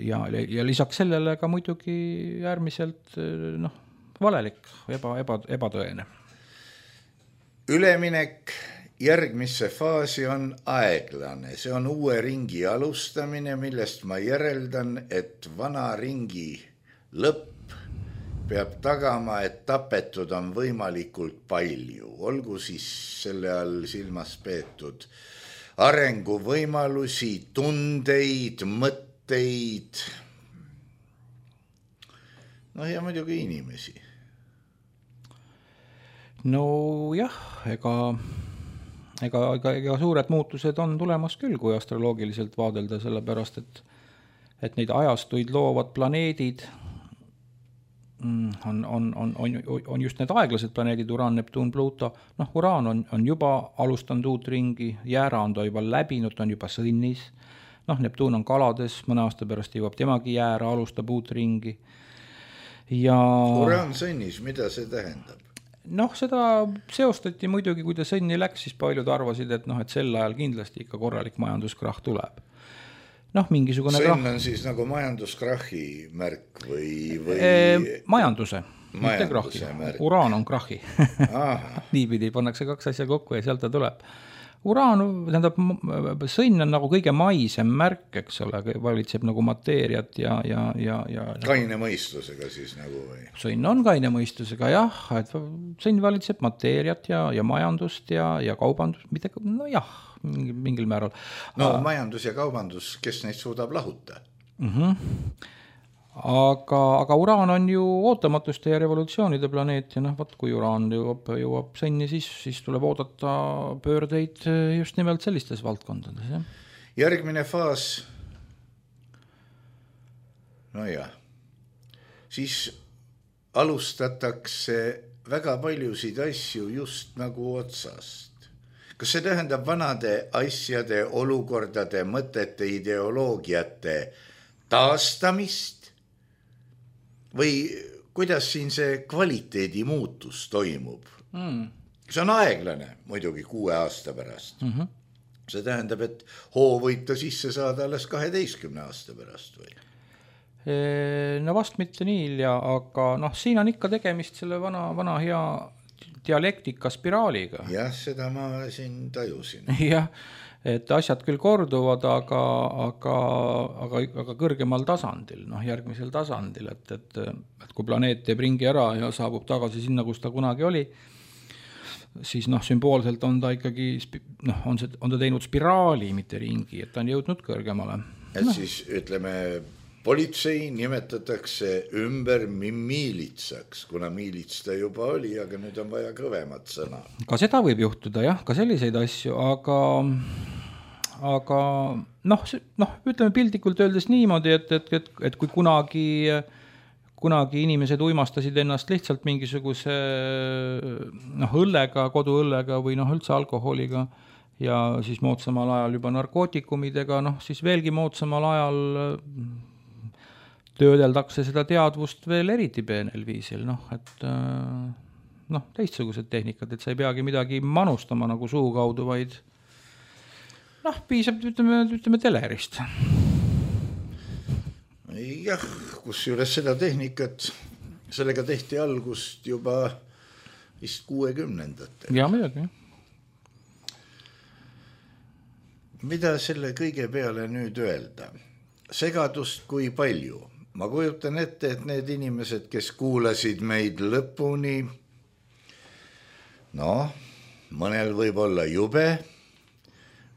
Ja lisaks sellele ka muidugi äärmiselt valelik, ebatõene. Üleminek järgmisse faasi on aeglane. See on uue ringi alustamine, millest ma järeldan, et vana ringi lõpp peab tagama, et tapetud on võimalikult palju. Olgu siis selle all silmas peetud arenguvõimalusi, tundeid, mõtteid, ja muidugi inimesi. Jah, ega suured muutused on tulemas küll, kui astroloogiliselt vaadelda, sellepärast, et neid ajastuid loovad planeedid on just need aeglased planeedid, Uraan, Neptuun, Pluto. Uraan on juba alustanud uut ringi, Jäära on ta juba läbinud, ta on juba sõnnis. Neptuun on kalades, mõne aasta pärast jõuab temagi Jäära, alustab uut ringi. Uraan sõnnis, mida see tähendab? Seda seostati muidugi, kui ta sõnni läks, siis paljud arvasid, et sel ajal kindlasti ikka korralik majanduskrahh tuleb. Mingisugune sõnn on siis nagu majanduskrahhi märk või majanduse, mitte krahhi. Uraan on krahhi. Niipidi pannakse 2 asja kokku ja sealt ta tuleb. Uraan, tähendab, sõnn on nagu kõige maisem märk, eks ole, valitseb nagu mateeriat ja kaine mõistusega siis nagu või? Sõnn on kaine mõistusega, jah, et sõnn valitseb mateeriat ja majandust ja kaubandust, mitte, mingil määral. Majandus ja kaubandus, kes neid suudab lahuta? aga uraan on ju ootamatuste ja revolutsioonide planeet ja võt, kui uraan jõuab senni, siis tuleb oodata pöördeid just nimelt sellistes valdkondades. Jah. Järgmine faas, siis alustatakse väga paljusid asju just nagu otsast. Kas see tähendab vanade asjade, olukordade, mõtete, ideoloogiate taastamist või kuidas siin see kvaliteedi muutus toimub? See on aeglane muidugi 6 aasta pärast. See tähendab, et hoo võite sisse saada alles 12 aasta pärast või? No vast mitte nii hilja, aga siin on ikka tegemist selle vana hea dialektika spiraaliga. Jah, seda ma siin tajusin. Jah, et asjad küll korduvad, aga kõrgemal tasandil, järgmisel tasandil, et kui planeet teeb ringi ära ja saabub tagasi sinna, kus ta kunagi oli, siis sümboolselt on ta ikkagi, on ta teinud spiraali, mitte ringi, et ta on jõudnud kõrgemale. Et siis ütleme, politsei nimetatakse ümber miilitsaks, kuna miilits ta juba oli, aga nüüd on vaja kõvemat sõna. Ka seda võib juhtuda, jah, ka selliseid asju, aga ütleme piltlikult öeldes niimoodi, et kui kunagi inimesed uimastasid ennast lihtsalt mingisuguse õllega, koduõllega või üldse alkoholiga ja siis moodsamal ajal juba narkootikumidega, siis veelgi moodsamal ajal töödeldakse seda teadvust veel eriti peenel viisil, et teistsugused tehnikad, et sa ei peagi midagi manustama nagu suu kaudu, vaid piisab, ütleme telerist. Jah, kus juures seda tehnikat, sellega tehti algust juba vist 60-ndatel. Ja midagi. Mida selle kõige peale nüüd öelda? Segadust kui palju? Ma kujutan ette, et need inimesed, kes kuulasid meid lõpuni, mõnel võib olla jube,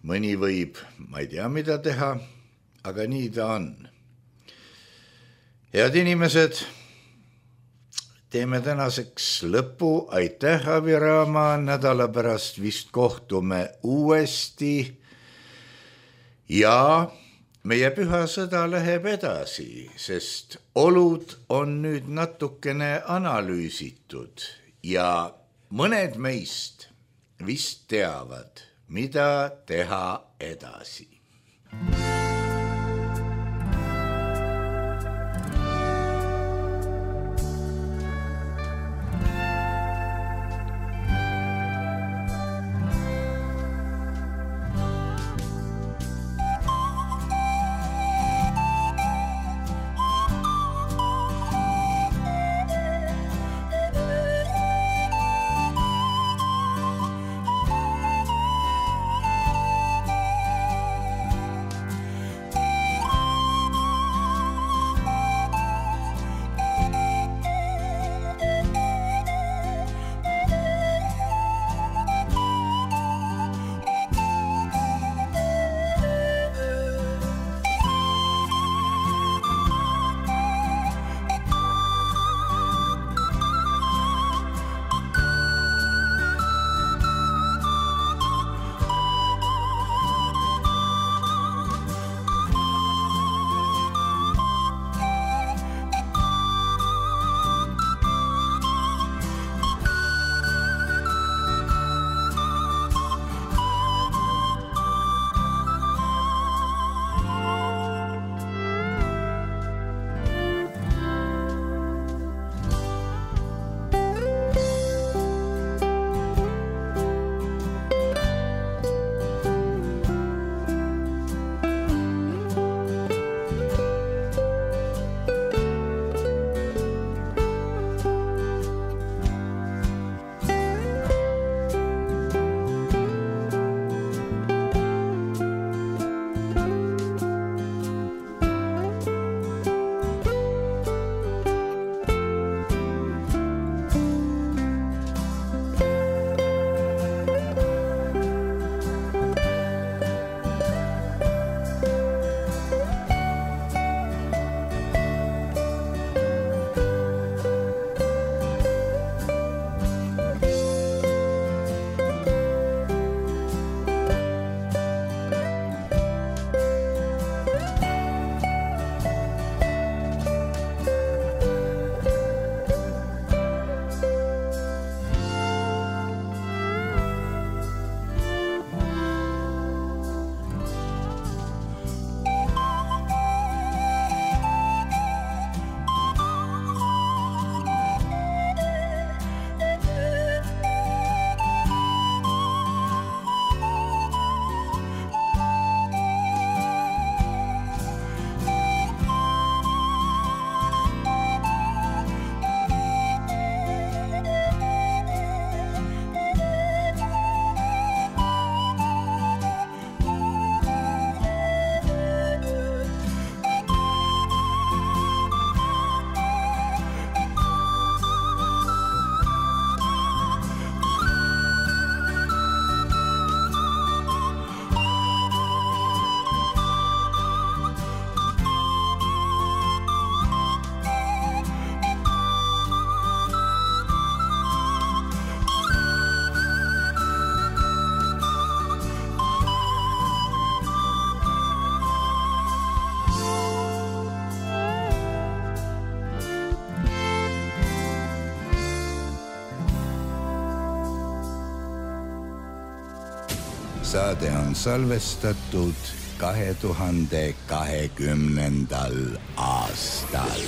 mõni võib, ma ei tea, mida teha, aga nii ta on. Head inimesed, teeme tänaseks lõppu. Aitäh, Aviraama, nädala pärast vist kohtume uuesti ja meie pühasõda läheb edasi, sest olud on nüüd natukene analüüsitud ja mõned meist vist teavad, mida teha edasi. Saade on salvestatud 2020. aastal.